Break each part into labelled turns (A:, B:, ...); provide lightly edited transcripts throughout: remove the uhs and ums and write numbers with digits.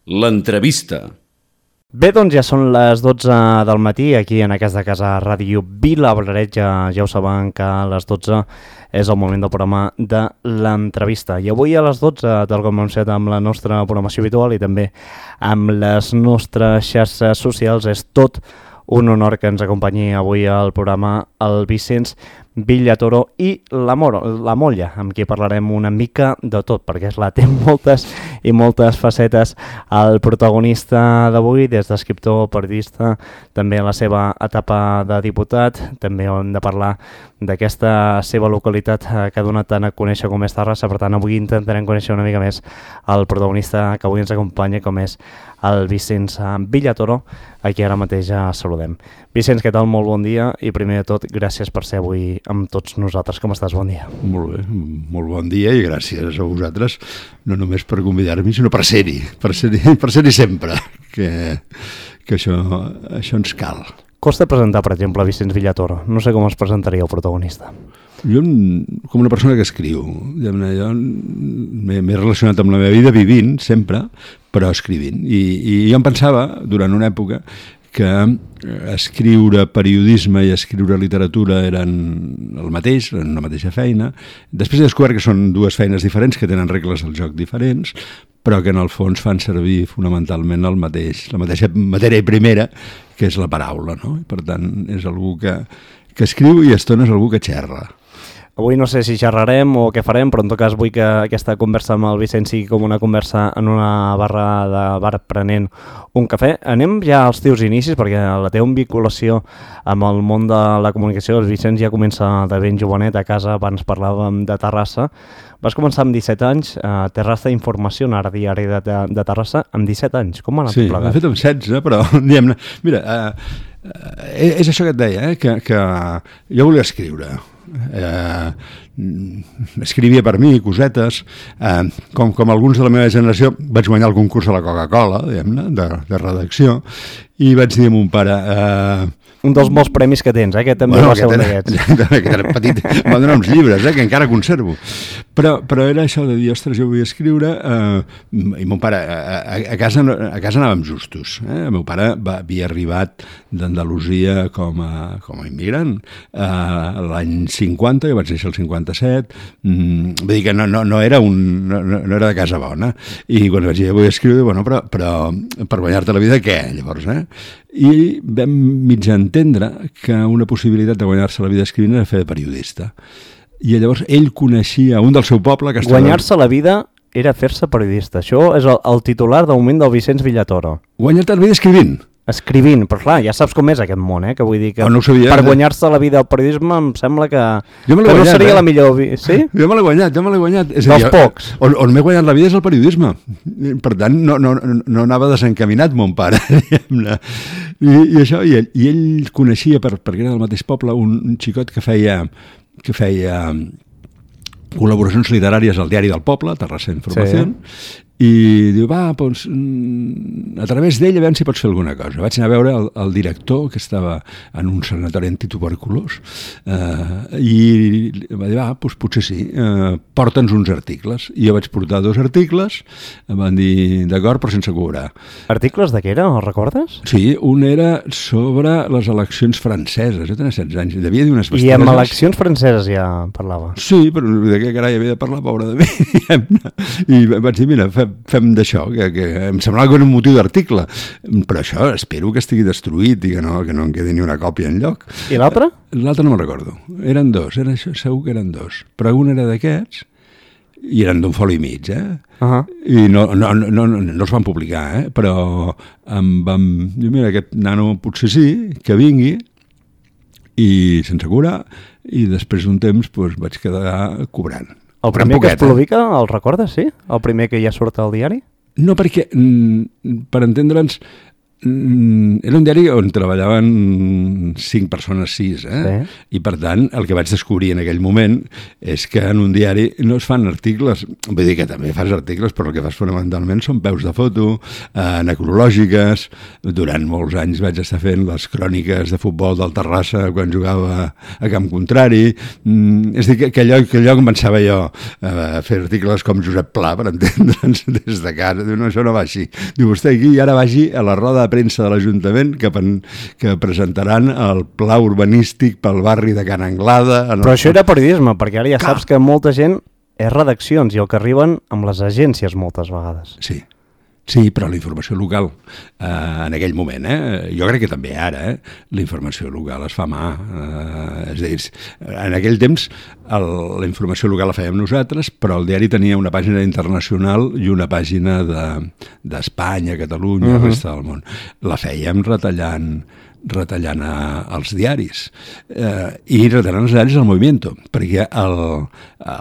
A: L'entrevista.
B: Bé, doncs ja són les 12 del matí aquí en aquesta casa Ràdio Vilabraret. Ja ho saben que a les 12 és el moment del programa de l'entrevista. I avui a les 12, tal com hem fet amb la nostra programació habitual i també amb les nostres xarxes socials, és tot un honor que ens acompanyi avui al programa el Vicenç Villatoro i la Molla, amb qui parlarem una mica de tot, perquè té moltes i moltes facetes. El protagonista d'avui, des d'escriptor, periodista, també la seva etapa de diputat, també hem de parlar d'aquesta seva localitat que ha donat tant a conèixer com és Terrassa. Per tant, avui intentarem conèixer una mica més el protagonista que avui ens acompanya, com és el Vicenç Villatoro, a qui ara mateix ja saludem. Vicenç, què tal? Molt bon dia i primer de tot, gràcies per ser avui amb tots nosaltres. Com estàs? Bon dia.
C: Molt bé, molt bon dia i gràcies a vosaltres, no només per convidar-me, sinó per ser-hi sempre, que això ens cal.
B: Costa presentar, per exemple, Vicenç Villatoro. No sé com es presentaria el protagonista.
C: Jo, com una persona que escriu, jo m'he relacionat amb la meva vida vivint sempre, però escrivint. I jo em pensava, durant una època, que escriure periodisme i escriure literatura eren el mateix, eren una mateixa feina. Després he descobert que són dues feines diferents, que tenen regles del joc diferents, però que en el fons fan servir fonamentalment la mateixa matèria primera, que és la paraula, no? I per tant, és algú que escriu i a estones algú que xerra.
B: Avui no sé si xerrarem o què farem, però en tot cas vull que aquesta conversa amb el Vicenç sigui com una conversa en una barra de bar prenent un cafè. Anem ja als teus inicis, perquè la teva vinculació amb el món de la comunicació, el Vicenç ja comença de ben jovenet a casa. Abans parlàvem de Terrassa. Vas començar amb 17 anys a Terrassa Informació, ara diari de Terrassa, amb 17 anys. Com ha anat plegat?
C: Sí, m'he fet amb 16, però diguem-ne... Mira, és això que et deia, que jo volia escriure. Escrivia per mi cosetes, com alguns de la meva generació vaig guanyar el concurs a la Coca-Cola, diguem-ne, de redacció, i vaig dir a mon pare...
B: Un dels molts premis que tens, que també va ser un d'aquests.
C: Que era petit, em van donar uns llibres, que encara conservo. Però era això de dir, ostres, jo vull escriure, i mon pare, a casa anàvem justos. El meu pare havia arribat d'Andalusia com a immigrant l'any 50, jo vaig néixer el 57, vull dir que no era de casa bona. I quan vaig dir, vull escriure, bueno, però per guanyar-te la vida, què? Llavors, i vam mig entendre que una possibilitat de guanyar-se la vida escrivint era fer de periodista. I llavors ell coneixia un del seu poble que estava...
B: Guanyar-se la vida era fer-se periodista. Això és el titular de moment del Vicenç Villatoro.
C: Guanyar-te la vida escrivint.
B: Escrivint, però clar, ja saps com és aquest món, que vull dir que
C: no sabia,
B: per guanyar-se la vida al periodisme em sembla que no seria la millor... Sí?
C: Jo me l'he guanyat. És
B: dels pocs.
C: On m'he guanyat la vida és el periodisme. Per tant, no anava desencaminat mon pare. I això, i ell coneixia, perquè era del mateix poble, un xicot que feia col·laboracions literàries al diari del poble, Terrassa Informació, i diu, doncs, a través d'ell a veure si pots fer alguna cosa. Vaig anar a veure el director, que estava en un sanatori antituberculós, i va dir, doncs potser sí, porta'ns uns articles. I jo vaig portar 2 articles, em van dir, d'acord, però sense cobrar.
B: Articles de què era, els recordes?
C: Sí, un era sobre les eleccions franceses. Jo tenia 16 anys, devia dir unes bestieses.
B: I amb eleccions franceses ja parlava?
C: Sí, però de què carai havia de parlar, pobre de mi. I vaig dir, mira, fem d'això, que em semblava que era un motiu d'article, però això espero que estigui destruït i que no en quedi ni una còpia enlloc.
B: I l'altre?
C: L'altre no me'n recordo, eren 2, segur que eren 2, però un era d'aquests i eren d'un foli i mig, i no els van publicar, però em vam dir, mira, aquest nano potser sí, que vingui, i sense cobrar, i després d'un temps vaig quedar cobrant.
B: El primer que es publica, el recordes, sí? El primer que ja surt al diari?
C: No, perquè, per entendre'ns, Era un diari on treballaven 5 persones, 6,
B: Sí.
C: I per tant el que vaig descobrir en aquell moment és que en un diari no es fan articles, vull dir que també fas articles, però el que fas fonamentalment són peus de foto, necrològiques. Durant molts anys vaig estar fent les cròniques de futbol del Terrassa quan jugava a camp contrari. És a dir, que allò començava jo a fer articles com Josep Pla, per entendre'ns, des de casa. Diu, no, això no va així. Diu, vostè aquí i ara vagi a la roda de premsa de l'Ajuntament que presentaran el pla urbanístic pel barri de Can Anglada.
B: Però això era periodisme, perquè ara ja saps que molta gent és redaccions i el que arriben amb les agències moltes vegades.
C: Sí, però la informació local, en aquell moment, jo crec que també ara, la informació local es fa a mà. És a dir, en aquell temps la informació local la fèiem nosaltres, però el diari tenia una pàgina internacional i una pàgina d'Espanya, Catalunya, resta del món. La fèiem retallant els diaris i retallant els diaris del Movimiento, perquè el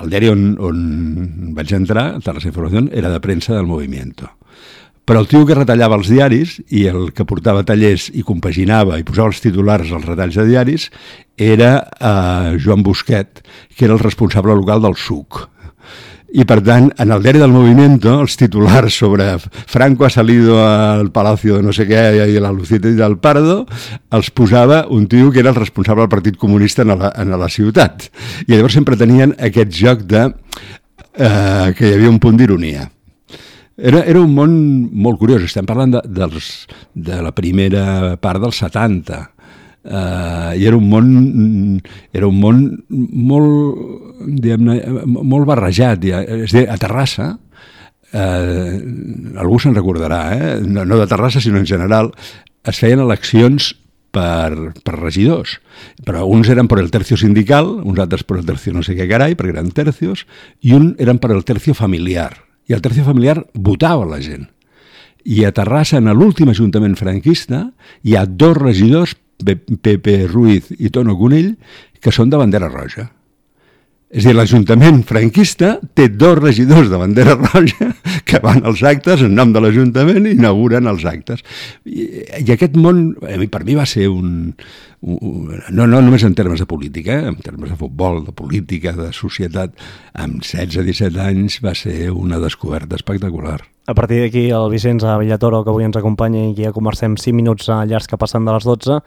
C: diari on vaig entrar, Terrassa Informació, era de premsa del Movimiento. Però el tio que retallava els diaris i el que portava tallers i compaginava i posava els titulars als retalls de diaris era Joan Busquet, que era el responsable local del SUC. I per tant, en el diari del Movimiento, els titulars sobre Franco ha salido al Palacio de no sé què i a la Lucita y del Pardo, els posava un tio que era el responsable del Partit Comunista en la ciutat. I llavors sempre tenien aquest joc de que hi havia un punt d'ironia. Era un món molt curiós. Estem parlant de la primera part dels 70. I era un món molt, diguem-ne, molt barrejat. És a dir, a Terrassa, algú se'n recordarà, no de Terrassa, sinó en general, es feien eleccions per regidors, però uns eren per el tercio sindical, uns altres per el tercio no sé què carai, perquè eren tercios, i un eren per el tercio familiar. I el tercio familiar votava la gent. I a Terrassa, en l'últim ajuntament franquista, hi ha 2 regidors, Pepe Ruiz i Tono Conill, que són de bandera roja. És a dir, l'Ajuntament franquista té 2 regidors de bandera roja que van als actes en nom de l'Ajuntament i inauguren els actes. I aquest món, per mi va ser no només en termes de política, en termes de futbol, de política, de societat, amb 16-17 anys va ser una descoberta espectacular.
B: A partir d'aquí, el Vicenç Villatoro, que avui ens acompanya i que ja comencem 5 minuts llargs que passen de les 12,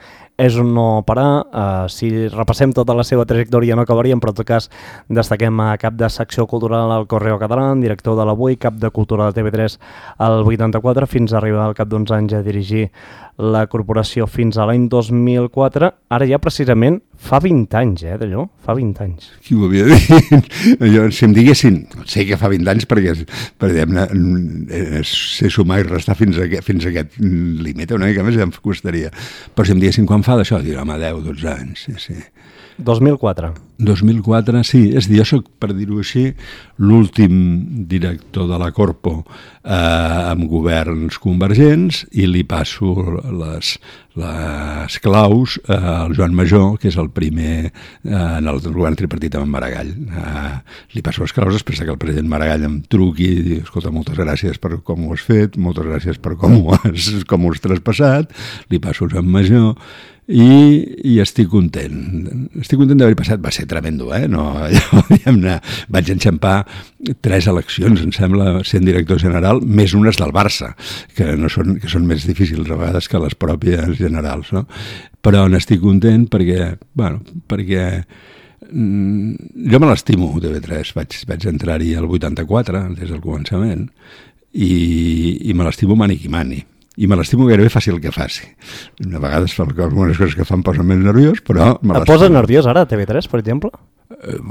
B: és un no parar. Si repassem tota la seva trajectòria no acabaríem, però en tot cas destaquem a cap de secció cultural al Correo Català, director de l'Avui, cap de cultura de TV3 al 84, fins a arribar al cap d'uns anys a dirigir la corporació fins a l'any 2004. Ara ja precisament fa 20 anys, d'allò, fa 20 anys.
C: Qui ho havia dit? Jo, si em diguessin, sé que fa 20 anys perquè sé sumar i restar fins a aquest límit, una mica més ja em costaria. Però si em diguessin quan fa d'això, diria, home, 10-12 anys, sí.
B: 2004.
C: 2004, sí. És a dir, jo soc, per dir-ho així, l'últim director de la Corpo amb governs convergents i li passo les claus al Joan Major, que és el primer en el govern tripartit amb Maragall. Li passo les claus després que el president Maragall em truqui i digui, escolta, moltes gràcies per com ho has fet, moltes gràcies per com ho has traspassat, li passo al Joan Major i estic content. Estic content d'haver passat. Va ser tremendo, no? Allò, vaig enxampar 3 eleccions, em sembla, sent director general, més unes del Barça, que són més difícils a vegades que les pròpies generals, no? Però n'estic content perquè jo me l'estimo, TV3. Vaig entrar-hi al 84, des del començament, i me l'estimo mani qui mani. I me l'estimo gairebé faci el que faci. A vegades fa algunes coses que em posen més nerviós, però me l'estimo.
B: Et posa nerviós ara, TV3, per exemple?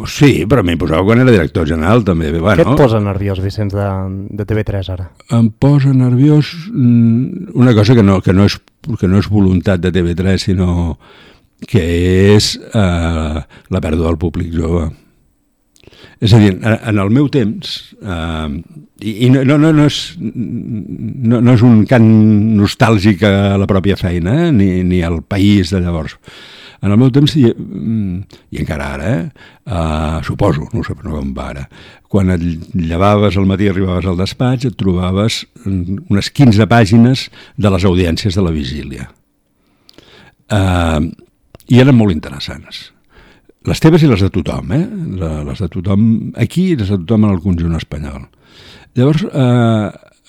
C: Sí, però m'hi posava quan era director general, també.
B: Què et posa nerviós, Vicenç, de TV3 ara?
C: Em posa nerviós una cosa que no és voluntat de TV3, sinó que és la pèrdua del públic jove. És a dir, en el meu temps, i no és un cant nostàlgic a la pròpia feina, ni al país de llavors. En el meu temps, i encara ara, suposo, no ho sé, però no com va ara, quan et llevaves al matí i arribaves al despatx, et trobaves unes 15 pàgines de les audiències de la vigília. I eren molt interessants. Les teves i les de tothom, les de tothom aquí i les de tothom en el conjunt espanyol. Llavors,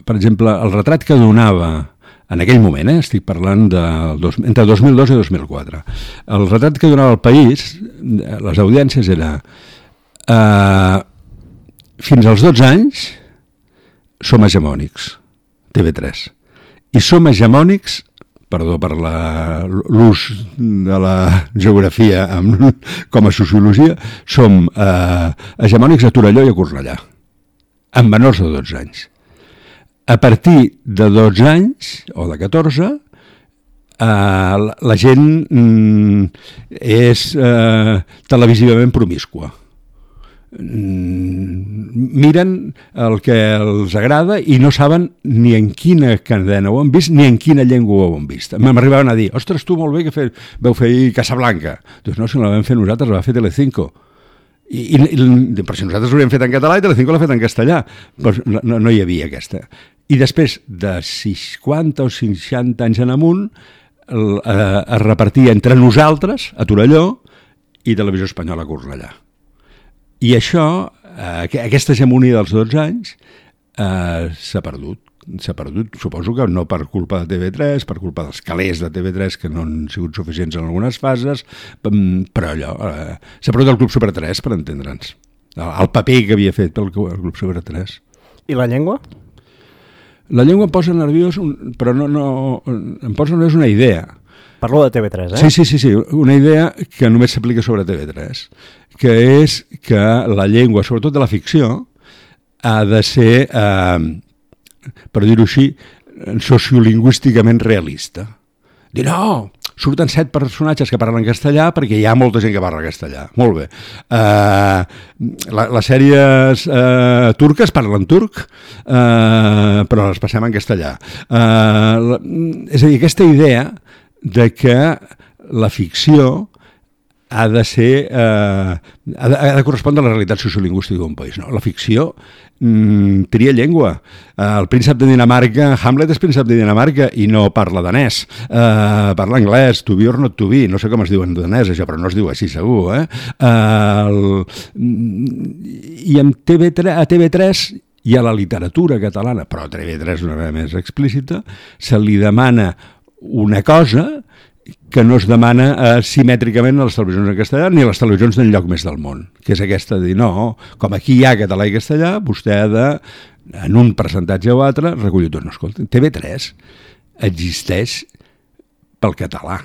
C: per exemple, el retrat que donava en aquell moment, estic parlant entre 2002 i 2004, el retrat que donava el País, les audiències era fins als 12 anys som hegemònics, TV3, i som hegemònics, perdó per l'ús de la geografia com a sociologia, som hegemònics a Torelló i a Cornellà, amb menors de 12 anys. A partir de 12 anys, o de 14, la gent és televisivament promiscua. Miren el que els agrada i no saben ni en quina cadena ho han vist ni en quina llengua ho han vist. M'arribaven a dir, ostres, tu molt bé que vau fer Casablanca. Doncs no, si no la vam fer nosaltres, la va fer Telecinco. Per si nosaltres l'havíem fet en català i Telecinco l'ha fet en castellà. Doncs no hi havia aquesta. I després de 50 o 60 anys en amunt es repartia entre nosaltres, a Torelló, i Televisió Espanyola a Cornellà. I això, aquesta hegemonia dels 12 anys, s'ha perdut. S'ha perdut, suposo que no per culpa de TV3, per culpa dels calés de TV3 que no han sigut suficients en algunes fases, però allò, s'ha perdut el Club Super 3, per entendre'ns. El paper que havia fet el Club Super 3.
B: I la llengua?
C: La llengua em posa nerviós, però em posa nerviós una idea.
B: Parlo de TV3,
C: Sí, una idea que només s'aplica sobre TV3, que és que la llengua, sobretot de la ficció, ha de ser, per dir-ho així, sociolingüísticament realista. Dir, no, surten 7 personatges que parlen castellà perquè hi ha molta gent que parla castellà. Molt bé. Les sèries turques parlen turc, però les passem en castellà. És a dir, aquesta idea de que la ficció ha de ser ha de correspondre a la realitat sociolingüística d'un país. No? La ficció tria llengua. El príncep de Dinamarca, Hamlet és príncep de Dinamarca i no parla danès. Parla anglès, to be or not to be. No sé com es diu en danès això, però no es diu així segur. I a TV3 i a la literatura catalana, però a TV3 d'una manera més explícita, se li demana una cosa que no es demana simètricament a les televisions en castellà ni a les televisions d'enlloc més del món, que és aquesta de dir, no, com aquí hi ha català i castellà, vostè ha de, en un percentatge o altre, recollir tot. No, escolta, TV3 existeix pel català.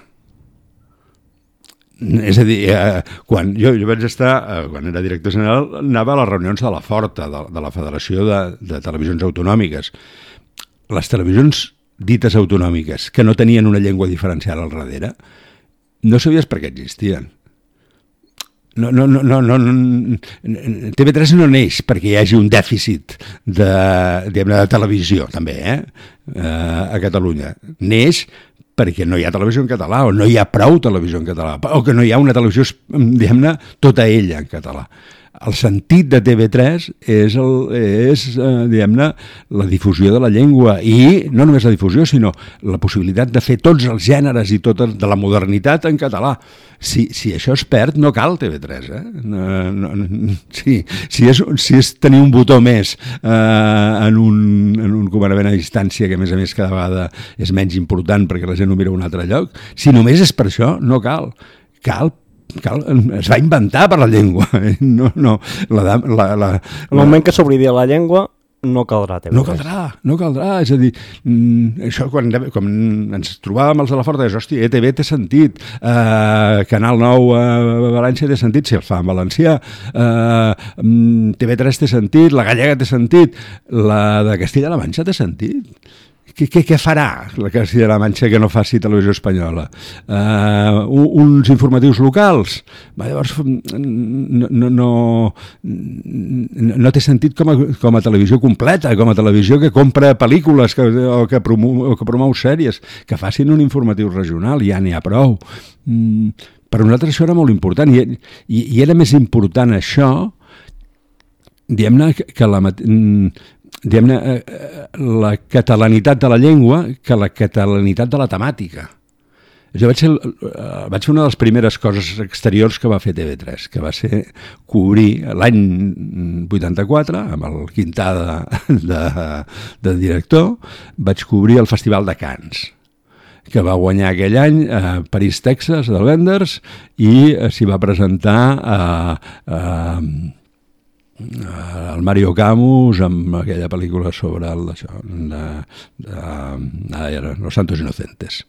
C: És a dir, quan jo vaig estar, quan era director general, anava a les reunions de la Forta, de la Federació de Televisions Autonòmiques. Les televisions dites autonòmiques, que no tenien una llengua diferencial al darrere, no sabies per què existien. TV3 no neix perquè hi hagi un dèficit de televisió, també, a Catalunya. Neix perquè no hi ha televisió en català, o no hi ha prou televisió en català, o que no hi ha una televisió, diguem-ne, tota ella en català. El sentit de TV3 és diguem-ne, la difusió de la llengua i no només la difusió, sinó la possibilitat de fer tots els gèneres i tota de la modernitat en català. Si això es perd, no cal TV3. Si és tenir un botó més en un comandament a distància, que a més cada vegada és menys important perquè la gent ho mira a un altre lloc, si només és per això, no cal. Es va inventar per la llengua. El
B: moment que s'oblidi la llengua no caldrà TV3.
C: No caldrà. És a dir, això quan ens trobàvem els de la Forta, és, hòstia, ETV té sentit, Canal 9 a València té sentit, si el fa en valencià, TV3 té sentit, la gallega té sentit, la de Castilla-La Manxa té sentit. què farà la Castilla-La Manxa que no faci televisió espanyola? Uns informatius locals? Llavors no té sentit com a televisió completa, com a televisió que compra pel·lícules o que promou sèries, que facin un informatiu regional, ja n'hi ha prou. Per nosaltres això era molt important i era més important això, diguem-ne, que la catalanitat de la llengua que la catalanitat de la temàtica. Jo vaig fer una de les primeres coses exteriors que va fer TV3, que va ser cobrir l'any 84, amb el Quintà de director, vaig cobrir el Festival de Cannes, que va guanyar aquell any a París, Texas, del Wenders, i s'hi va presentar el Mario Camus amb aquella pel·lícula sobre Los Santos Inocentes.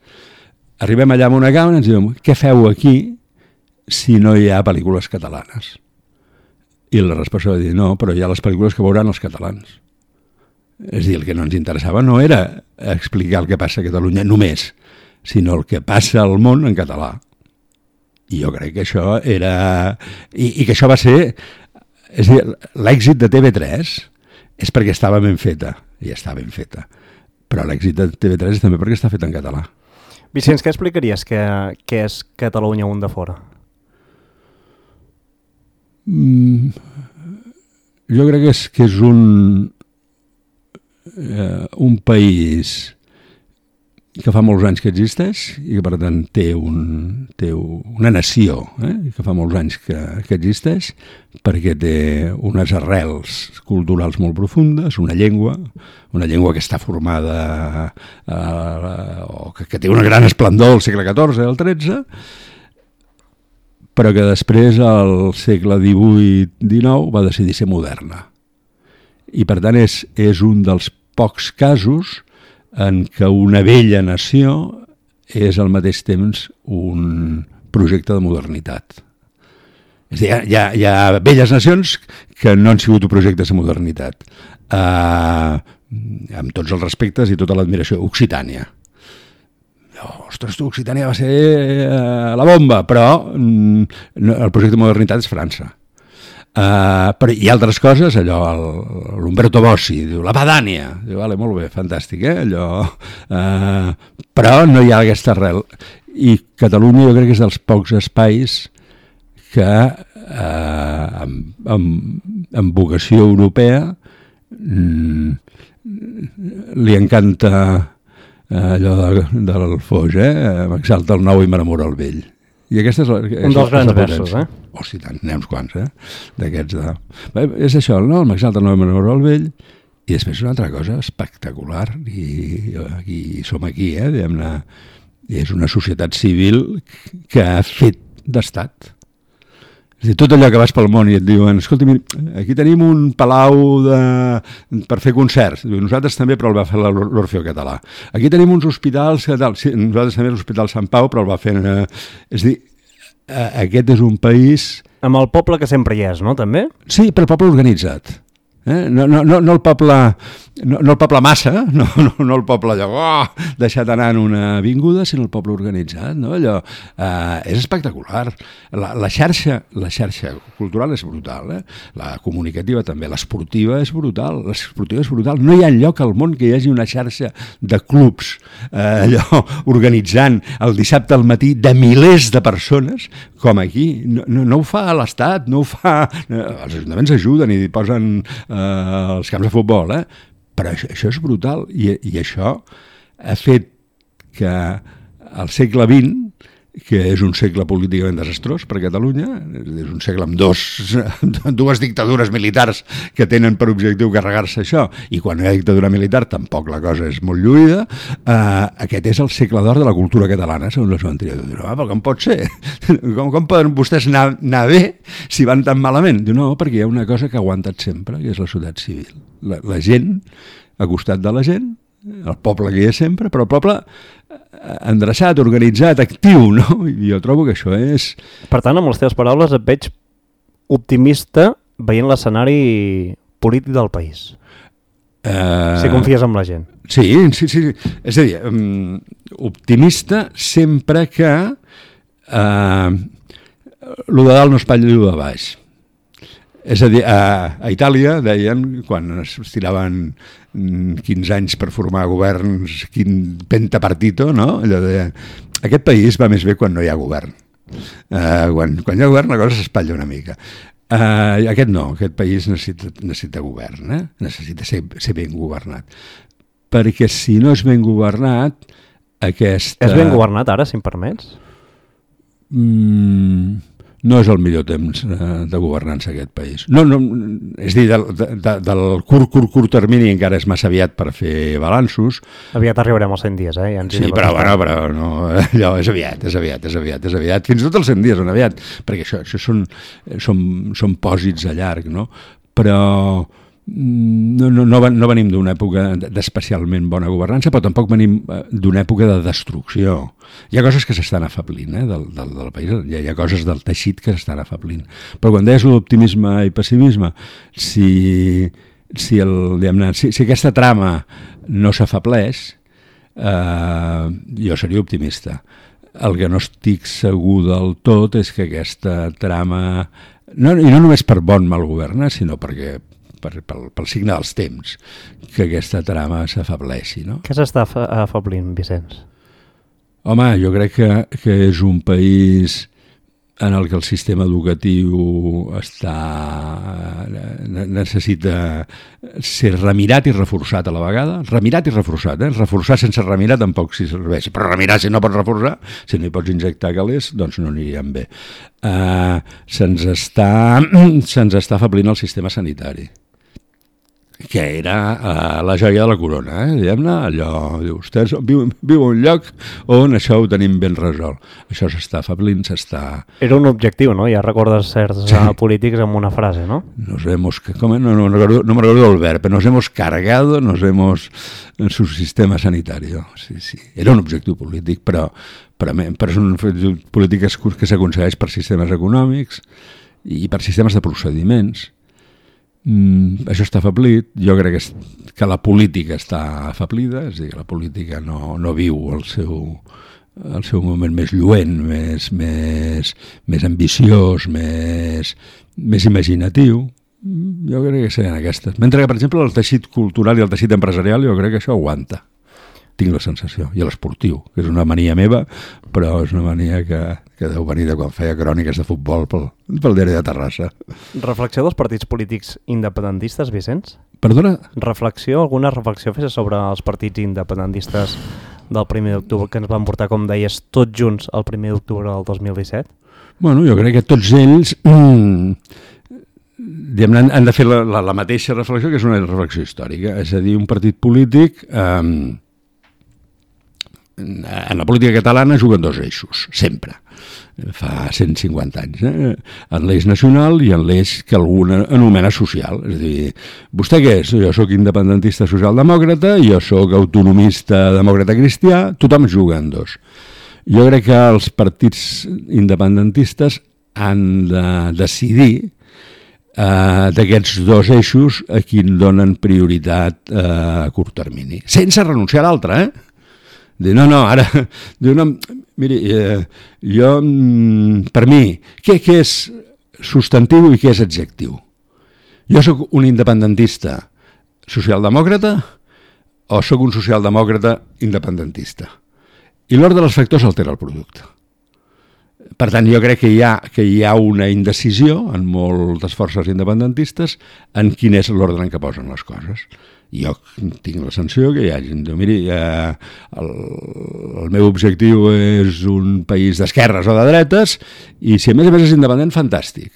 C: Arribem allà amb una càmera i ens diuen: què feu aquí si no hi ha pel·lícules catalanes? I la resposta va dir: no, però hi ha les pel·lícules que veuran els catalans. És a dir, el que no ens interessava no era explicar el que passa a Catalunya només, sinó el que passa al món en català. I jo crec que això era... I que això va ser... És a dir, l'èxit de TV3 és perquè estava ben feta, i està ben feta, però l'èxit de TV3 és també perquè està feta en català.
B: Vicenç, què explicaries que és Catalunya un de fora?
C: Jo crec que és un país que fa molts anys que existeix i que per tant té una nació que fa molts anys que existeix, perquè té unes arrels culturals molt profundes, una llengua que està formada o que té una gran esplendor al segle XIV, al XIII, però que després al segle XVIII-XIX va decidir ser moderna. I per tant és un dels pocs casos en què una vella nació és al mateix temps un projecte de modernitat. És a dir, hi ha velles nacions que no han sigut projectes de modernitat. Amb tots els respectes i tota l'admiració. Occitània. Ostres, Occitània va ser la bomba, però el projecte de modernitat és França. Però hi ha altres coses, allò, l'Umberto Bossi, diu, la Padània, diu, vale, molt bé, fantàstic, allò, però no hi ha aquesta arrel. I Catalunya jo crec que és dels pocs espais que amb vocació europea li encanta allò del Foix, m'exalta el nou i m'enamora el vell. I aquesta és
B: un dels grans versos,
C: Hosti, tant, n'hi ha uns quants, d'aquests és això, no? M'exalta el nou i m'enamora el vell, i després una altra cosa espectacular, i som aquí, diguem-ne, és una societat civil que ha fet d'estat. És a dir, tot allò que vas pel món i et diuen, escolta, aquí tenim un palau per fer concerts. Nosaltres també, però el va fer l'Orfeó Català. Aquí tenim uns hospitals, sí, nosaltres també l'Hospital Sant Pau, però el va fer... És a dir, aquest és un país...
B: Amb el poble que sempre hi és, no, també?
C: Sí, però el poble organitzat. No el poble massa, no el poble allò, deixat anar en una avinguda, sinó el poble organitzat, no? Allò és espectacular. La xarxa cultural és brutal, la comunicativa també, l'esportiva és brutal, no hi ha lloc al món que hi hagi una xarxa de clubs allò organitzant el dissabte al matí de milers de persones com aquí. No ho fa l'Estat, no ho fa... Els ajuntaments ajuden i posen els camps de futbol, però això és brutal i això ha fet que al segle XX, que és un segle políticament desastrós per a Catalunya, és un segle amb dues dictadures militars que tenen per objectiu carregar-se això, i quan hi ha dictadura militar tampoc la cosa és molt lluïda, aquest és el segle d'or de la cultura catalana, segons la seva anterior. Però com pot ser? Com poden vostès anar bé si van tan malament? Diu, no, perquè hi ha una cosa que ha aguantat sempre, que és la societat civil. La gent, al costat de la gent, el poble que hi és sempre, però el poble endreçat, organitzat, actiu, no? I jo trobo que això és...
B: Per tant, amb les teves paraules et veig optimista veient l'escenari polític del país. Si confies en la gent.
C: Sí. És a dir, optimista sempre que lo de dalt no espatlla lo de baix. És a dir, a Itàlia deien, quan es tiraven 15 anys per formar governs, quin pentapartito, no? Allò deien, aquest país va més bé quan no hi ha govern. Quan hi ha govern la cosa s'espatlla una mica. Aquest no, aquest país necessita govern, necessita ser ben governat. Perquè si no és ben governat, aquesta...
B: És ben governat ara, si em permets?
C: No és el millor temps de governança aquest país. No, és a dir, del curt termini encara és massa aviat per fer balanços.
B: Aviat arribarem als 100 dies, Ja
C: sí, però no, allò és aviat. Fins i tot els 100 dies són aviat, perquè això són pòsits a llarg, no? Però no venim d'una època d'especialment bona governança, però tampoc venim d'una època de destrucció. Hi ha coses que s'estan afablint del país, hi ha coses del teixit que s'estan afablint. Però quan deies l'optimisme i pessimisme, si aquesta trama no s'afableix, jo seria optimista. El que no estic segur del tot és que aquesta trama, i no només per bon mal govern, sinó perquè pel signe dels temps, que aquesta trama s'afableixi, no?
B: Què s'està afablint, Vicenç?
C: Home, jo crec que és un país en el que el sistema educatiu necessita ser remirat i reforçat a la vegada. Remirat i reforçat, Reforçar sense remirar tampoc si serveix, però remirar si no pots reforçar, si no hi pots injectar calés, doncs no aniríem bé. Se'ns està afablint el sistema sanitari, que era la joia de la corona, diguem-ne, allò, vostès viu un lloc on això ho tenim ben resolt. Això s'està afablint,
B: Era un objectiu, no? Ja recordes certs polítics amb una frase, no?
C: No me recuerdo el verb, nos hemos cargado, en su sistema sanitario. Sí. Era un objectiu polític, però són polítiques que s'aconsegueix per sistemes econòmics i per sistemes de procediments. Això està afeblit. Jo crec que la política està afablida, és a dir, que la política no viu el seu moment més lluent, més ambiciós, més imaginatiu. Jo crec que serien aquestes. Mentre que, per exemple, el teixit cultural i el teixit empresarial, jo crec que això aguanta. Tinc la sensació. I l'esportiu, que és una mania meva, però és una mania que deu venir de quan feia cròniques de futbol pel diari de Terrassa.
B: Reflexió dels partits polítics independentistes, Vicenç?
C: Perdona?
B: Alguna reflexió fes sobre els partits independentistes del 1 d'octubre que ens van portar, com deies, tots junts el 1 d'octubre del 2017?
C: Bueno, jo crec que tots ells han de fer la mateixa reflexió, que és una reflexió històrica. És a dir, un partit polític... En la política catalana juguen dos eixos, sempre. Fa 150 anys. En l'eix nacional i en l'eix que algú anomena social. És a dir, vostè què és? Jo sóc independentista socialdemòcrata, jo sóc autonomista demòcrata cristià, tothom juga en dos. Jo crec que els partits independentistes han de decidir d'aquests dos eixos a quin donen prioritat a curt termini. Sense renunciar a l'altre, ara... Miri, jo, per mi, què és substantiu i què és adjectiu? Jo sóc un independentista socialdemòcrata o sóc un socialdemòcrata independentista? I l'ordre dels factors altera el producte. Per tant, jo crec que hi ha una indecisió en moltes forces independentistes en quin és l'ordre en què posen les coses. Jo tinc la sensació que hi ha gent que diu, miri, el meu objectiu és un país d'esquerres o de dretes i si a més és independent, fantàstic.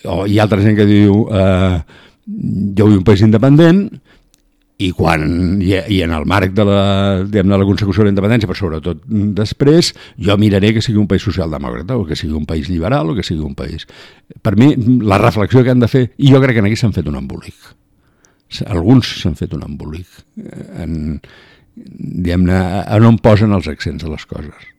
C: O hi ha altra gent que diu jo vull un país independent i en el marc de la consecució de la independència, però sobretot després, jo miraré que sigui un país socialdemòcrata o que sigui un país liberal o que sigui un país. Per mi, la reflexió que han de fer, i jo crec que aquí s'han fet un embolic. Alguns s'han fet un embolic on posen els accents a les coses.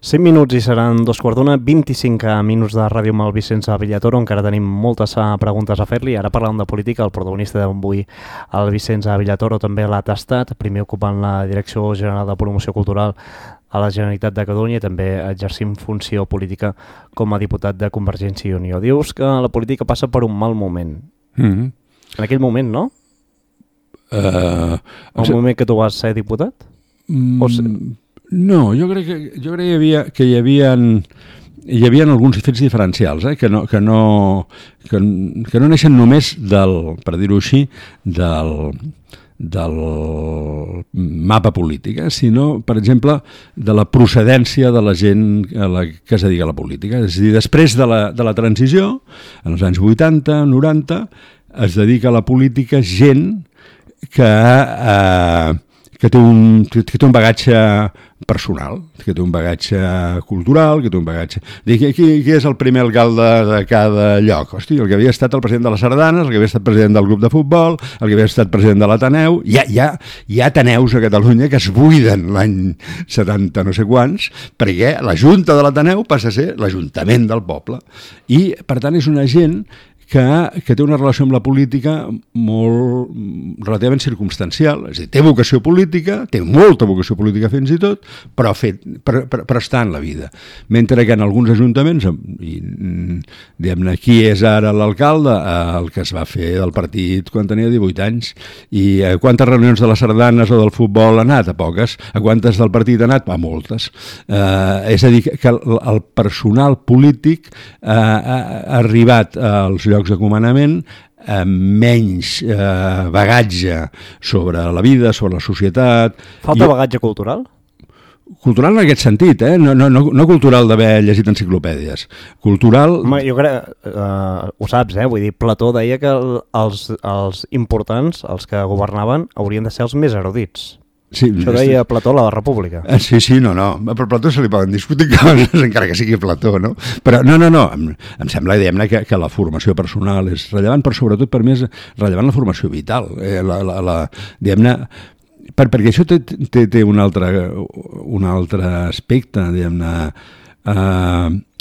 B: 5 minuts i seran 2:15, 25 minuts de ràdio amb el Vicenç Villatoro. Encara tenim moltes preguntes a fer-li. Ara parlant de política, el protagonista d'avui, el Vicenç Villatoro, també l'ha tastat, primer ocupant la Direcció General de Promoció Cultural a la Generalitat de Catalunya i també exercint funció política com a diputat de Convergència i Unió. Dius que la política passa per un mal moment.
C: En
B: aquell moment, no? El moment que tu vas ser diputat?
C: No, jo crec que hi havia alguns fets diferencials, que no neixen només per dir-ho així, del mapa polític, sinó, per exemple, de la procedència de la gent que es dedica a la política. És a dir, després de la transició, en els anys 80, 90, es dedica a la política gent que té un bagatge personal, que té un bagatge cultural, que té un bagatge... Qui és el primer alcalde de cada lloc? Hosti, el que havia estat el president de les Sardanes, el que havia estat president del club de futbol, el que havia estat president de l'Ateneu... Hi ha Ateneus a Catalunya que es buiden l'any 70 no sé quants, perquè la Junta de l'Ateneu passa a ser l'Ajuntament del poble. I, per tant, és una gent que té una relació amb la política molt relativament circumstancial, és a dir, té vocació política, té molta vocació política fins i tot, però està en la vida. Mentre que en alguns ajuntaments, diguem-ne, qui és ara l'alcalde? El que es va fer del partit quan tenia 18 anys. I a quantes reunions de les Sardanes o del futbol ha anat? A poques. A quantes del partit ha anat? A moltes. És a dir, que el personal polític ha arribat als llocs de comandament amb menys bagatge sobre la vida, sobre la societat.
B: Falta bagatge cultural?
C: Cultural en aquest sentit, no cultural d'haver llegit enciclopèdies. Cultural...
B: Home, jo crec, ho saps, vull dir, Plató deia que els importants, els que governaven, haurien de ser els més erudits.
C: Sí,
B: això deia Plató a la República.
C: Sí, no. Per Plató se li poden discutir coses, encara que sigui Plató, no? Però no. Em sembla, diguem-ne, que la formació personal és rellevant, però sobretot per mi és rellevant la formació vital. Diguem-ne, perquè això té un altre aspecte, diguem-ne.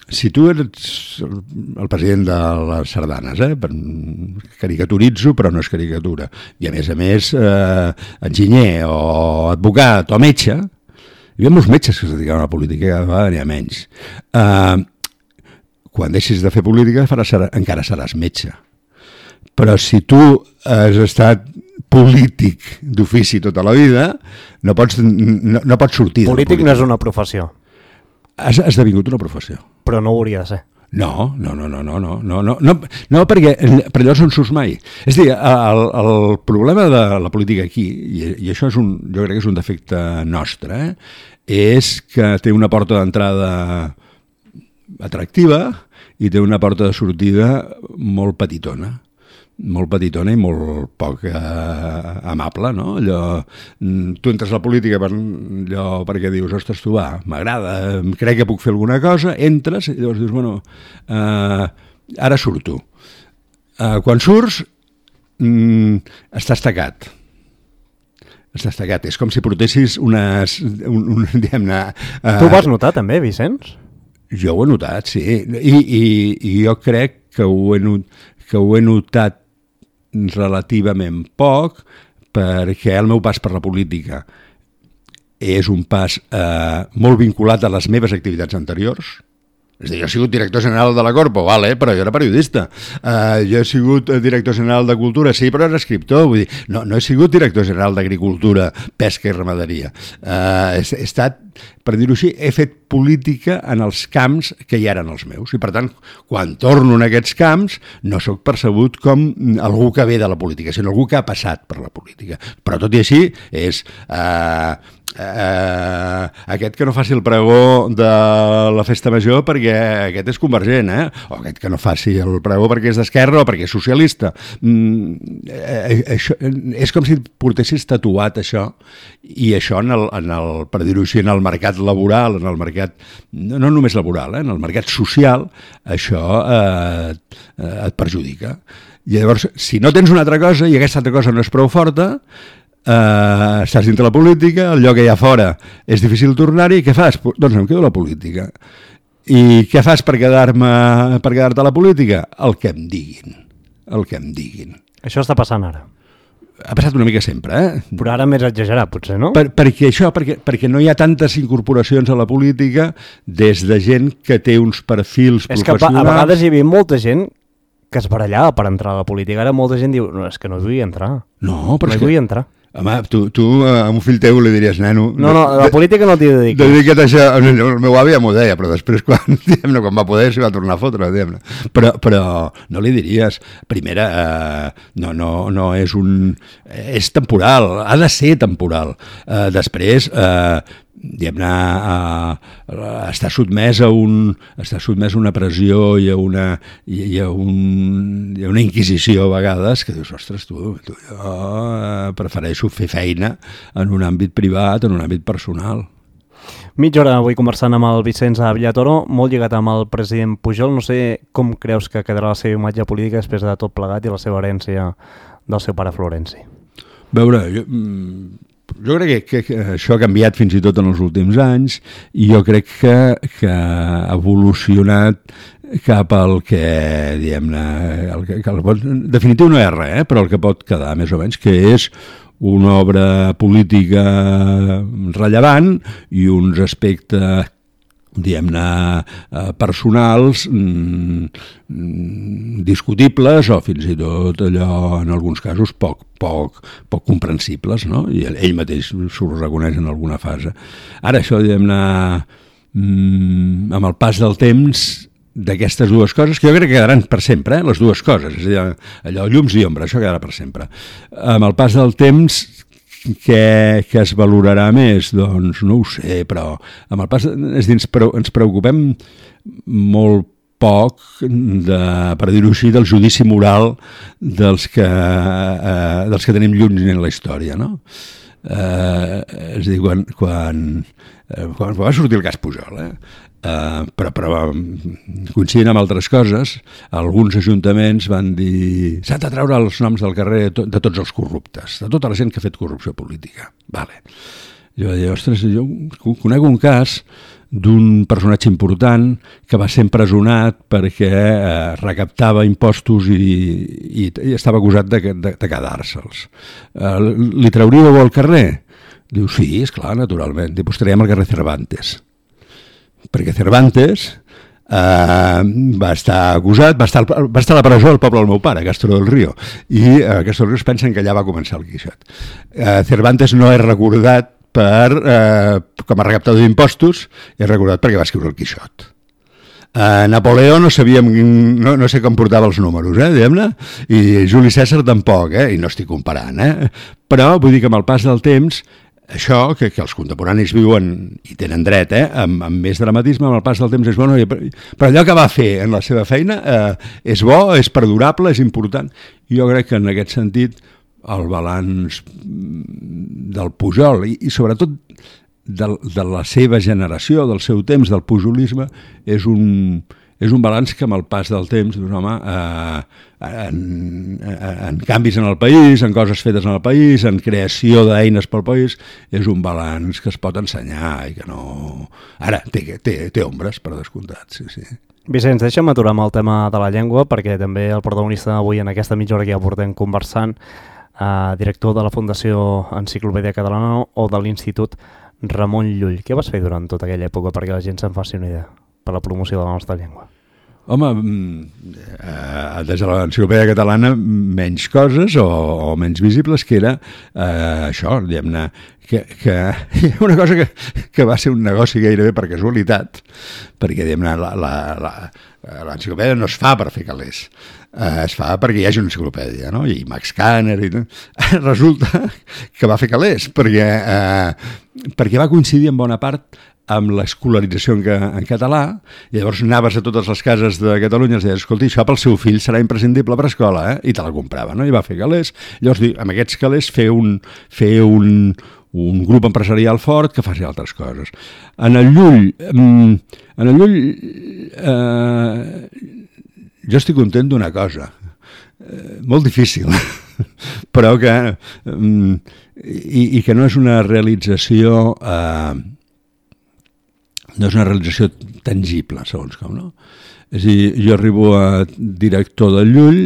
C: Si tu ets el president de les Sardanes, caricaturitzo, però no és caricatura, i a més, enginyer o advocat o metge, hi havia molts metges que es dedicaven a la política, cada vegada n'hi ha menys. Quan deixis de fer política encara seràs metge. Però si tu has estat polític d'ofici tota la vida, no pots sortir.
B: Polític no és una professió.
C: Ha esdevingut una professió.
B: Però no ho hauria de ser.
C: No, perquè per allò no surts mai. És a dir, el problema de la política aquí, i això jo crec que és un defecte nostre, és que té una porta d'entrada atractiva i té una porta de sortida molt petitona i molt poc amable, no? Tu entres a la política perquè dius, ostres, tu m'agrada, crec que puc fer alguna cosa, entres i llavors dius, bueno, ara surto. Quan surts, estàs tacat. És com si portessis diguem-ne...
B: Tu ho vas notar també, Vicenç?
C: Jo ho he notat, sí. I jo crec que ho he notat relativament poc, perquè el meu pas per la política és un pas molt vinculat a les meves activitats anteriors. És a dir, jo he sigut director general de la Corpo, però jo era periodista. Jo he sigut director general de Cultura, sí, però era escriptor. Vull dir, no he sigut director general d'Agricultura, Pesca i Ramaderia. He estat, per dir-ho així, he fet política en els camps que ja eren els meus. I, per tant, quan torno en aquests camps, no sóc percebut com algú que ve de la política, sinó algú que ha passat per la política. Però, tot i així, és... aquest que no faci el pregó de la festa major perquè aquest és convergent, o aquest que no faci el pregó perquè és d'esquerra o perquè és socialista. Això, és com si portessis tatuat això, i això per dir-ho així, en el mercat laboral, en el mercat, no només laboral, en el mercat social, això et perjudica. I llavors, si no tens una altra cosa i aquesta altra cosa no és prou forta, estàs dintre la política, el lloc que hi ha fora és difícil tornar-hi, què fas? Doncs em quedo a la política. I què fas per quedar-te a la política? El que em diguin.
B: Això està passant ara.
C: Ha passat una mica sempre,
B: Però ara més exagerat, potser, no?
C: Perquè no hi ha tantes incorporacions a la política des de gent que té uns perfils professionals.
B: És que a vegades hi havia molta gent que es barallava per entrar a la política. Ara molta gent diu, no, és que no vull entrar.
C: No, però
B: no vull entrar.
C: Home, tu a un fill teu li diries, neno...
B: No, la política no t'hi dediques.
C: Dedica't a això. El meu avi ja m'ho deia, però després quan va poder s'hi va tornar a fotre, diguem-ne. Però no li diries, primera, no és un... És temporal, ha de ser temporal. Després, diguem-ne, està sotmès a una pressió i a una inquisició a vegades que dius, ostres, jo prefereixo fer feina en un àmbit privat, en un àmbit personal.
B: Mitja hora avui conversant amb el Vicenç Villatoro, molt lligat amb el president Pujol. No sé com creus que quedarà la seva imatge política després de tot plegat i la seva herència del seu pare Florenci.
C: A veure, jo crec que això ha canviat fins i tot en els últims anys i jo crec que ha evolucionat cap al que, diguem-ne, en definitiu no és res, però el que pot quedar més o menys, que és una obra política rellevant i uns aspectes, diguem-ne, personals discutibles o fins i tot allò, en alguns casos, poc comprensibles, no? I ell mateix s'ho reconeix en alguna fase. Ara això, diguem-ne, amb el pas del temps d'aquestes dues coses, que jo crec que quedaran per sempre, les dues coses, és a dir, allò, llums i ombra, això quedarà per sempre. Amb el pas del temps, que es valorarà més? Doncs no ho sé, però amb el pas, és dir, ens preocupem molt poc, per dir-ho així, del judici moral dels que tenim lluny en la història, no? És a dir, quan va sortir el cas Pujol, però coincidint amb altres coses, alguns ajuntaments van dir s'han de treure els noms del carrer de tots els corruptes, de tota la gent que ha fet corrupció política. Vale. Jo vaig dir, ostres, jo conec un cas d'un personatge important que va ser empresonat perquè recaptava impostos i estava acusat de quedar-se'ls. Li trauríeu al carrer? Diu, sí, esclar, naturalment. Diu, pues traiem al carrer Cervantes. Perquè Cervantes va estar acusat, va estar a la presó al poble del meu pare, a Castro del Río, i a Castro del Río es pensen que allà va començar el Quixot. Cervantes no és recordat com a recaptador d'impostos, és recordat perquè va escriure el Quixot. Napoleó no sabíem, no sé com portava els números, diguem-ne, i Juli Cèsar tampoc, i no estic comparant, però vull dir que amb el pas del temps això, que els contemporanis viuen i tenen dret, amb més dramatisme, amb el pas del temps és bo, però allò que va fer en la seva feina és bo, és perdurable, és important. Jo crec que en aquest sentit el balanç del Pujol i sobretot de la seva generació, del seu temps, del pujolisme, és un balanç que amb el pas del temps, doncs, home, en canvis en el país, en coses fetes en el país, en creació d'eines pel país, és un balanç que es pot ensenyar i que no... Ara, té ombres, per descomptat, sí.
B: Vicenç, deixa'm aturar amb el tema de la llengua, perquè també el protagonista d'avui en aquesta mitja hora que ja portem conversant, director de la Fundació Enciclopèdia Catalana o de l'Institut Ramon Llull. Què vas fer durant tota aquella època perquè la gent se'n faci una idea per la promoció de la nostra llengua?
C: Home, des de l'Enciclopèdia Catalana menys coses o menys visibles, que era això, diguem-ne, que una cosa que va ser un negoci gairebé per casualitat, perquè diguem-ne l'enciclopèdia no es fa per fer calés, es fa perquè hi hagi una enciclopèdia, no? I Max Kanner i tot. Resulta que va fer calés perquè va coincidir en bona part amb l'escolarització en català, i llavors anaves a totes les cases de Catalunya i deies, escolta, això pel seu fill serà imprescindible per escola, i te la comprava, no? I va fer calés. Llavors, amb aquests calés fer un grup empresarial fort que faci altres coses. En el Llull jo estic content d'una cosa, molt difícil, però que i que no és una realització tangible, segons com, no? És a dir, jo arribo a director del Llull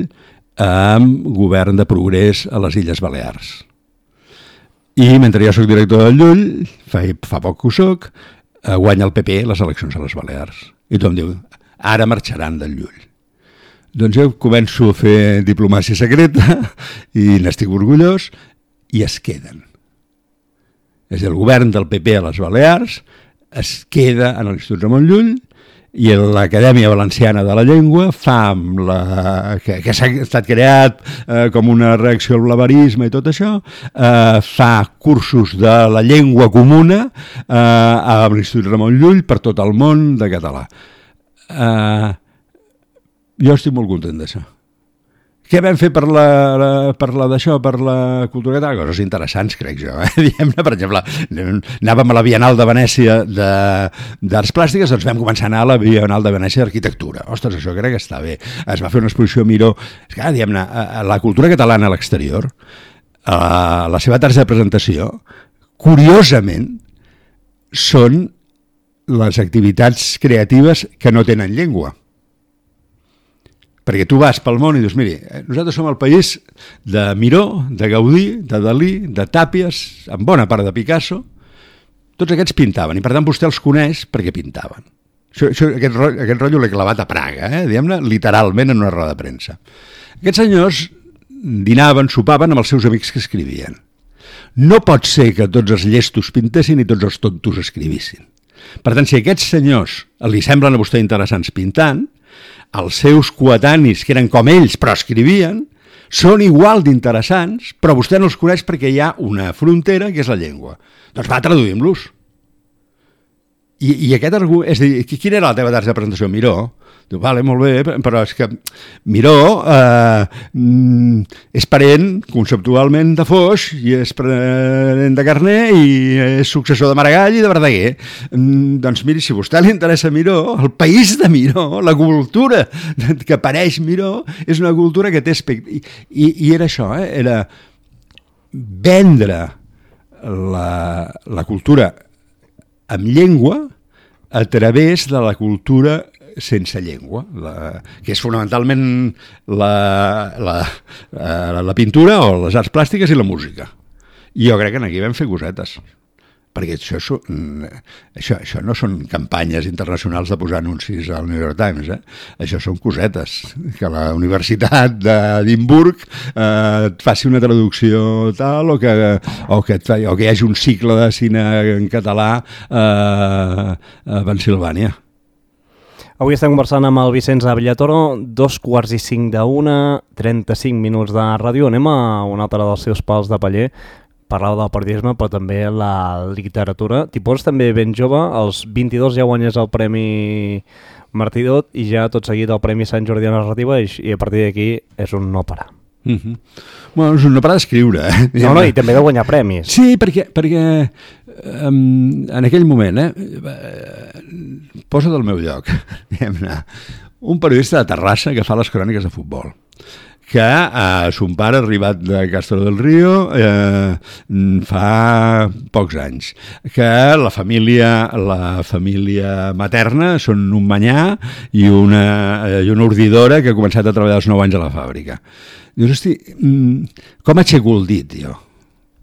C: amb govern de progrés a les Illes Balears. I mentre jo soc director del Llull, fa poc que ho soc, guanya el PP les eleccions a les Balears. I tothom diu, ara marxaran del Llull. Doncs jo començo a fer diplomàcia secreta i n'estic orgullós i es queden. És el govern del PP a les Balears es queda en l'Institut Ramon Llull i l'Acadèmia Valenciana de la Llengua fa amb que s'ha estat creat com una reacció al blaverisme i tot això, fa cursos de la llengua comuna a l'Institut Ramon Llull per tot el món de català. Jo estic molt content d'això. Què vam fer per la cultura catalana? Coses interessants, crec jo. Diguem-ne, per exemple, anàvem a la Bienal de Venècia d'Arts Plàstiques, doncs vam començar a anar a la Bienal de Venècia d'Arquitectura. Ostres, això crec que està bé. Es va fer una exposició Miró. És que, diguem-ne, la cultura catalana a l'exterior, la seva targeta de presentació, curiosament, són les activitats creatives que no tenen llengua. Perquè tu vas pel món i dius, miri, nosaltres som el país de Miró, de Gaudí, de Dalí, de Tàpies, amb bona part de Picasso, tots aquests pintaven, i per tant vostè els coneix perquè pintaven. Aquest rotllo l'he clavat a Praga, diguem-ne, literalment en una roda de premsa. Aquests senyors dinaven, sopaven amb els seus amics que escrivien. No pot ser que tots els llestos pintessin i tots els tontos escrivissin. Per tant, si aquests senyors li semblen a vostè interessants pintant, els seus coetanis, que eren com ells però escrivien, són igual d'interessants, però vostè no els coneix perquè hi ha una frontera que és la llengua. Doncs va, traduïm-los. I aquest argument, és a dir, quina era la teva targeta de presentació? Miró. Diu, vale, molt bé, però és que Miró és parent conceptualment de Foix i és parent de Carner i és successor de Maragall i de Verdaguer. Doncs miri, si a vostè li interessa Miró, el país de Miró, la cultura que apareix Miró, és una cultura que té aspecte. I era això, era vendre la cultura amb llengua a través de la cultura sense llengua, que és fonamentalment la pintura o les arts plàstiques i la música. I jo crec que aquí vam fer cosetes, perquè això no són campanyes internacionals de posar anuncis al New York Times, això són cosetes, que la Universitat d'Edimburg et faci una traducció tal o que hi hagi un cicle de cine en català a Pensilvània.
B: Avui estem conversant amb el Vicenç Villatoro, 2:45, 35 minuts de ràdio. Anem a un altre dels seus pals de paller. Parlava del periodisme, però també la literatura. T'hi poses també ben jove, als 22 ja guanyes el Premi Martí Dot i ja tot seguit el Premi Sant Jordi de Narrativa i a partir d'aquí és un no parar.
C: Bueno, és un no parar d'escriure.
B: No, i també de guanyar premis.
C: Sí, perquè en aquell moment, posa't al meu lloc, un periodista de Terrassa que fa les cròniques de futbol, que son pare arribat de Castro del Río fa pocs anys, que la família materna són un manyà i una ordidora que ha començat a treballar als 9 anys a la fàbrica. Dius, hosti, com aixeco el dit, jo?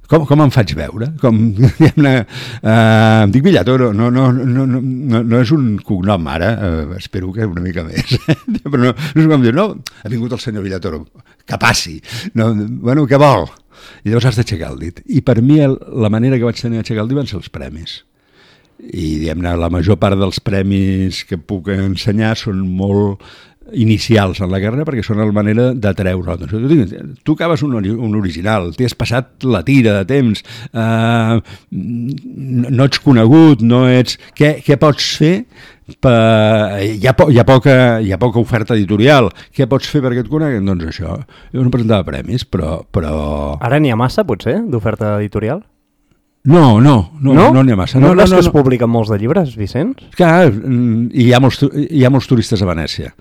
C: Com em faig veure? Em dic Villatoro, no és un cognom ara, espero que una mica més, però no és com dir, no, ha vingut el senyor Villatoro, que passi, bueno, què vol? I llavors has d'aixecar el dit. I per mi la manera que vaig tenir d'aixecar el dit van ser els premis. I diguem-ne, la major part dels premis que puc ensenyar són molt inicials en la carrera perquè són la manera d'atreure l'atenció. Tu acabes un original, t'has passat la tira de temps, no ets conegut, no ets... Què pots fer? Hi ha poca oferta editorial. Què pots fer perquè et coneguen? Doncs això. Jo no presentava premis, però...
B: Ara n'hi ha massa, potser, d'oferta editorial?
C: No n'hi ha massa.
B: No és que es publiquen molts de llibres, Vicenç?
C: Clar, hi ha molts turistes a Venècia.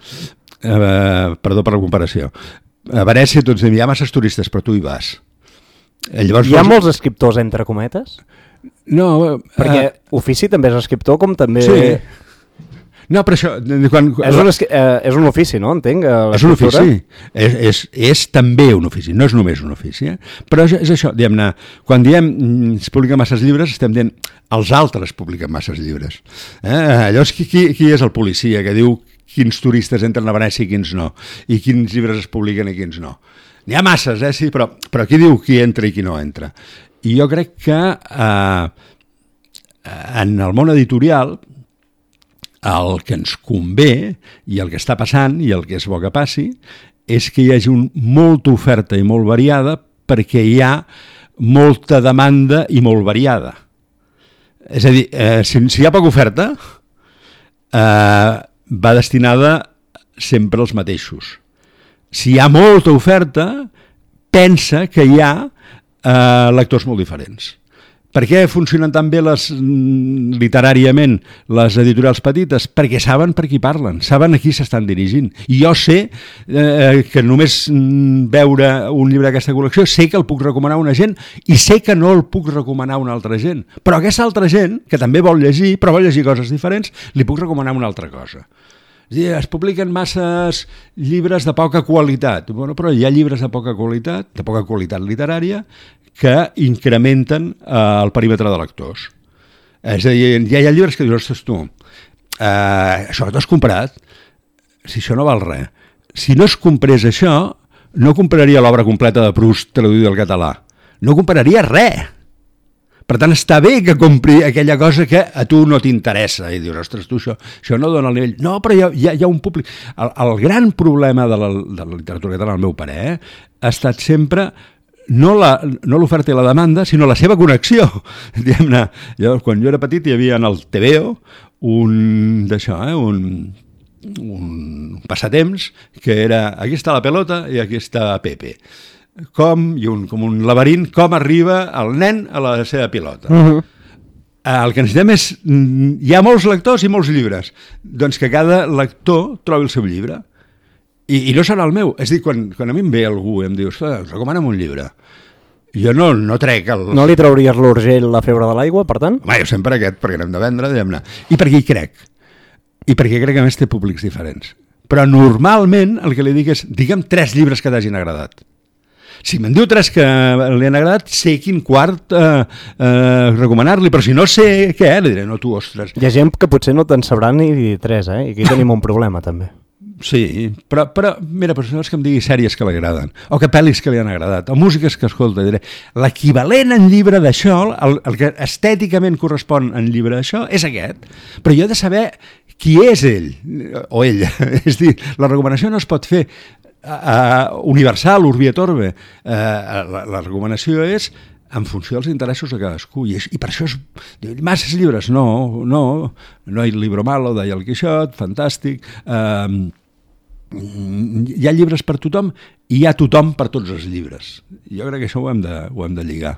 C: Perdó per la comparació. A Venècia tots diuen, hi ha masses turistes, però tu hi vas. Llavors,
B: Hi ha molts escriptors entre cometes?
C: No,
B: Perquè ofici també és escriptor, com també...
C: sí. No, però això...
B: És un ofici, no? Entenc,
C: és un ofici. És també un ofici, no és només un ofici. Però és això, diguem-ne, quan diem es publiquen masses llibres, estem dient els altres publiquen masses llibres. Llavors, qui és el policia que diu quins turistes entren a Venècia i quins no? I quins llibres es publiquen i quins no? N'hi ha masses, sí, però qui diu qui entra i qui no entra? I jo crec que en el món editorial el que ens convé i el que està passant i el que és bo que passi és que hi hagi molta oferta i molt variada perquè hi ha molta demanda i molt variada. És a dir, si hi ha poca oferta, va destinada sempre als mateixos. Si hi ha molta oferta, pensa que hi ha lectors molt diferents. Per què funcionen tan bé literàriament les editorials petites? Perquè saben per qui parlen, saben a qui s'estan dirigint. I jo sé que només veure un llibre d'aquesta col·lecció sé que el puc recomanar a una gent i sé que no el puc recomanar a una altra gent. Però aquesta altra gent, que també vol llegir, però vol llegir coses diferents, li puc recomanar una altra cosa. És a dir, es publiquen masses llibres de poca qualitat. Bueno, però hi ha llibres de poca qualitat literària, que incrementen el perímetre de lectors. És a dir, hi ha llibres que dius, ostres, tu, això que t'has comprat, si això no val res. Si no es comprés això, no compraria l'obra completa de Proust traduïda al català. No compraria res. Per tant, està bé que compri aquella cosa que a tu no t'interessa. I dius, ostres, tu, això no dona el nivell. No, però hi ha un públic. El gran problema de la literatura catalana, al meu parer, ha estat sempre no l'oferta i la demanda, sinó la seva connexió. Diguem-ne, quan jo era petit hi havia en el TVO un passatemps que era aquí està la pelota i aquí està Pepe. Com un laberint, com arriba el nen a la seva pilota. El que necessitem és... Hi ha molts lectors i molts llibres. Doncs que cada lector trobi el seu llibre. I no serà el meu. És a dir, quan a mi em ve algú i em diu, recomana'm un llibre. Jo no trec el...
B: No li trauries l'Urgell La febre de l'aigua, per tant?
C: Home, jo sempre perquè n'hem de vendre, diguem-ne. I perquè hi crec. I perquè crec que a més té públics diferents. Però normalment el que li dic és, digue'm 3 llibres que t'hagin agradat. Si me'n diu 3 que li han agradat, sé quin quart recomanar-li, però si no sé què, li diré, no, tu, ostres.
B: Hi ha gent que potser no te'n sabrà ni 3, I aquí tenim un problema, també.
C: Sí, però mira, persones que em digui sèries que li agraden, o que pel·lis que li han agradat, o músiques que escolta, diré, l'equivalent en llibre d'això, el que estèticament correspon en llibre d'això, és aquest. Però jo he de saber qui és ell, o ella. És a dir, la recomanació no es pot fer universal, urbi et orbe. La recomanació és en funció dels interessos de cadascú, i per això masses llibres, no hay libro malo, deia el Quixot, fantàstic, hi ha llibres per tothom i hi ha tothom per tots els llibres. Jo crec que això ho hem de lligar.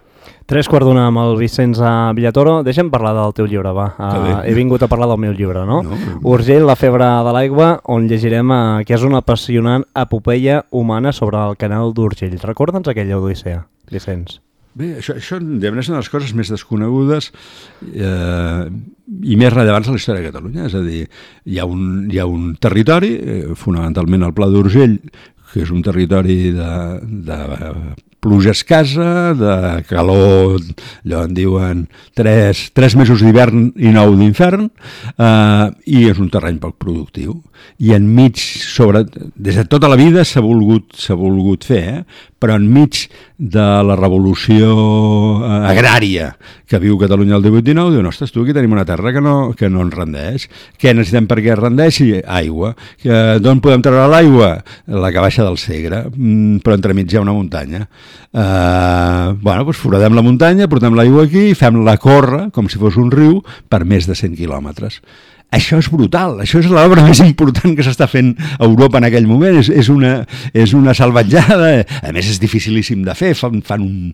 B: 3:15 amb el Vicenç Villatoro. Deixa'm parlar del teu llibre, va. He vingut a parlar del meu llibre, no? Urgell, La febre de l'aigua, on llegirem que és una apassionant epopeia humana sobre el canal d'Urgell. Recorda'ns aquella odissea, Vicenç.
C: Bé, això és una de les coses més desconegudes i més rellevants a la història de Catalunya. És a dir, hi ha un territori, fonamentalment el Pla d'Urgell, que és un territori de pluja escassa, de calor, allò en diuen 3 mesos d'hivern i 9 d'infern, i és un terreny poc productiu. I enmig, des de tota la vida s'ha volgut fer, però enmig de la revolució agrària que viu Catalunya el 18-19, diuen, ostres, tu aquí tenim una terra que no ens rendeix. Què necessitem perquè es rendeixi? Aigua. D'on podem treure l'aigua? La que baixa del Segre, però entremig hi ha una muntanya. Doncs foradem la muntanya, portem l'aigua aquí i fem-la córrer, com si fos un riu, per més de 100 quilòmetres. Això és brutal, això és l'obra més important que s'està fent a Europa en aquell moment, és una salvatjada, a més és dificilíssim de fer, fan un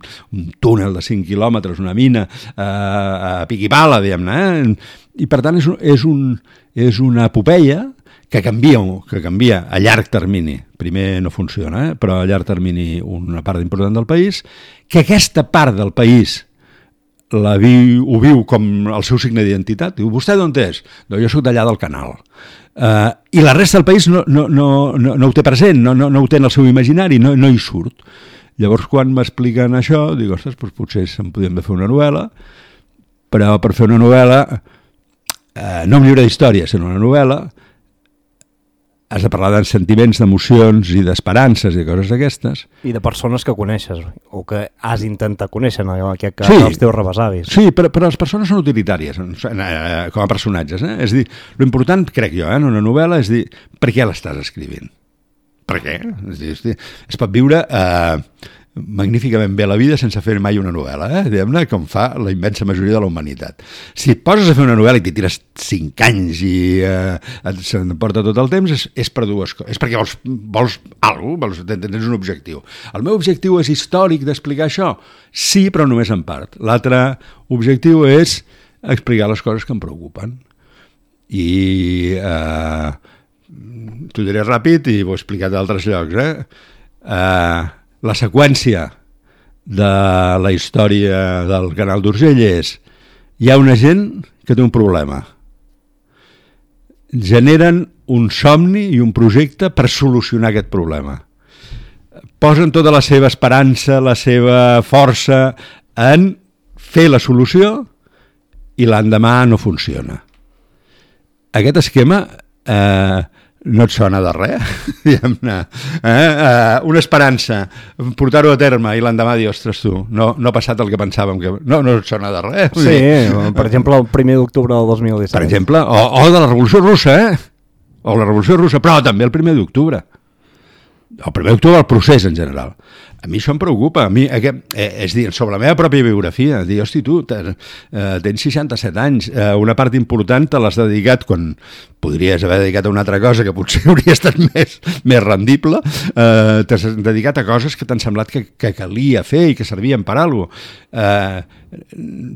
C: túnel de 5 quilòmetres, una mina a pic i pala, diguem-ne, i per tant és una epopeia que canvia a llarg termini. Primer no funciona, però a llarg termini una part important del país, que aquesta part del país ho viu com el seu signe d'identitat. Diu, vostè d'on és? No, jo soc d'allà del Canal. I la resta del país no ho té present, no ho té en el seu imaginari, no hi surt. Llavors, quan m'expliquen això, dic, ostres, doncs potser se'n podríem fer una novel·la, però per fer una novel·la, no un llibre d'història, sinó una novel·la, has de parlar de sentiments, d'emocions i d'esperances i coses d'aquestes.
B: I de persones que coneixes, o que has intentat conèixer, en aquest cas, els teus rebesavis.
C: Sí, però les persones són utilitàries com a personatges. És a dir, l'important, crec jo, en una novel·la, és dir, per què l'estàs escrivint? Per què? És dir, es pot viure magníficament bé la vida sense fer mai una novel·la, diguem-ne, com fa la immensa majoria de la humanitat. Si et poses a fer una novel·la i t'hi tires 5 anys i se'n porta tot el temps, és per dues coses. És perquè vols alguna cosa, tens un objectiu. El meu objectiu és històric d'explicar això? Sí, però només en part. L'altre objectiu és explicar les coses que em preocupen. I t'ho diré ràpid i ho he explicat a altres llocs, la seqüència de la història del Canal d'Urgell és: hi ha una gent que té un problema, generen un somni i un projecte per solucionar aquest problema, posen tota la seva esperança, la seva força en fer la solució i l'endemà no funciona. Aquest esquema no et sona de res, diguem-ne. Una esperança, portar-ho a terme i l'endemà dir, ostres, tu, no ha passat el que pensàvem que... No et sona de res.
B: Sí, per exemple, el 1 d'octubre del 2017.
C: Per exemple, o de la Revolució Russa, o la Revolució Russa, però també el 1 d'octubre. El 1 d'octubre, el procés en general. A mi això em preocupa, és dir, sobre la meva pròpia biografia, dir, hosti, tu, tens 67 anys, una part important te l'has dedicat, quan podries haver dedicat a una altra cosa que potser hauria estat més rendible, t'has dedicat a coses que t'han semblat que calia fer i que servien per alguna cosa.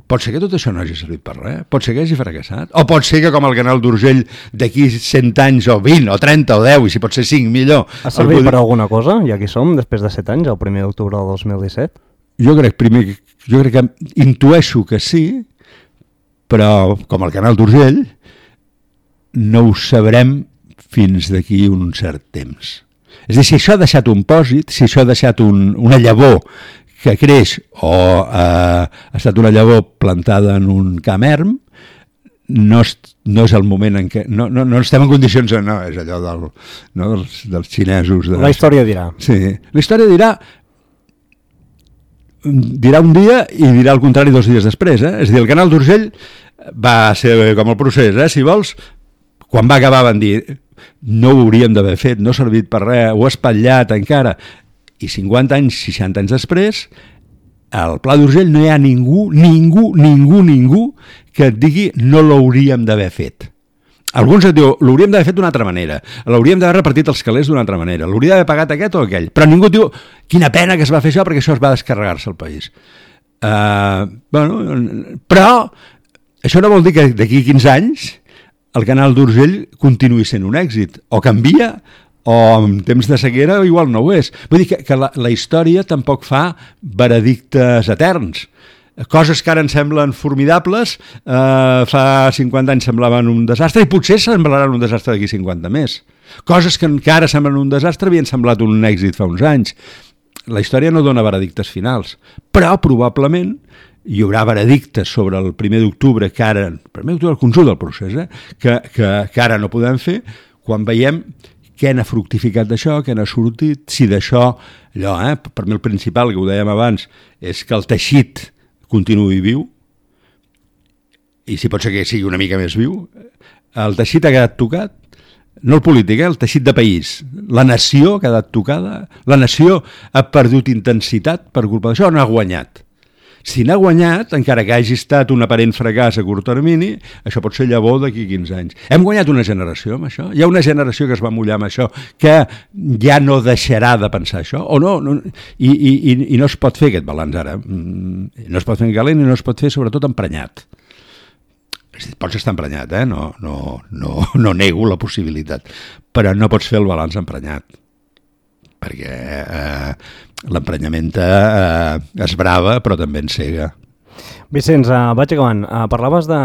C: Pot ser que tot això no hagi servit per res, pot ser que hagi fracassat, o pot ser que com el Canal d'Urgell d'aquí 100 anys o 20 o 30 o 10 i si pot ser 5 millor.
B: Ha servit per alguna cosa? I aquí som, després de 7 anys, el 1 d'octubre del 2017?
C: Jo crec que intueixo que sí, però com el Canal d'Urgell no ho sabrem fins d'aquí un cert temps. És a dir, si això ha deixat un pòsit, si això ha deixat una llavor que creix o ha estat una llavor plantada en un camp erm, no és el moment en què... No estem en condicions... No, és allò dels xinesos...
B: La història dirà.
C: Sí, la història dirà un dia i dirà el contrari 2 dies després. És a dir, el Canal d'Urgell va ser com el procés, si vols, quan va acabar van dir no ho hauríem d'haver fet, no ha servit per res, ho ha espatllat encara... I 50 anys, 60 anys després, al Pla d'Urgell no hi ha ningú que et digui no l'hauríem d'haver fet. Alguns et diuen, l'hauríem d'haver fet d'una altra manera, l'hauríem d'haver repartit els calés d'una altra manera, l'hauria d'haver pagat aquest o aquell, però ningú et diu, quina pena que es va fer això perquè això es va descarregar-se al país. Però això no vol dir que d'aquí 15 anys el Canal d'Urgell continuï sent un èxit, o canvia, o en temps de sequera igual no ho és. Vull dir que la història tampoc fa veredictes eterns. Coses que ara ens semblen formidables, fa 50 anys semblaven un desastre i potser semblaran un desastre d'aquí 50 més. Coses que ara semblen un desastre havien semblat un èxit fa uns anys. La història no dona veredictes finals, però probablement hi haurà veredictes sobre el 1 d'octubre, que ara, el 1 d'octubre el conjunt del procés, que ara no podem fer, quan veiem què n'ha fructificat d'això, què n'ha sortit, si d'això, allò, per mi el principal, que ho dèiem abans, és que el teixit continuï viu, i si pot ser que sigui una mica més viu, el teixit ha quedat tocat, no el polític, el teixit de país, la nació ha quedat tocada, la nació ha perdut intensitat per culpa d'això, no ha guanyat. Si n'ha guanyat, encara que hagi estat un aparent fracàs a curt termini, això pot ser llavor d'aquí 15 anys. Hem guanyat una generació amb això? Hi ha una generació que es va mullar amb això, que ja no deixarà de pensar això? O no? I no es pot fer aquest balanç ara. No es pot fer en calent i no es pot fer sobretot emprenyat. pots estar emprenyat, no nego la possibilitat, però no pots fer el balanç emprenyat, perquè l'emprenyament esbrava però també encega.
B: Vicenç, vaig acabant. Parlaves de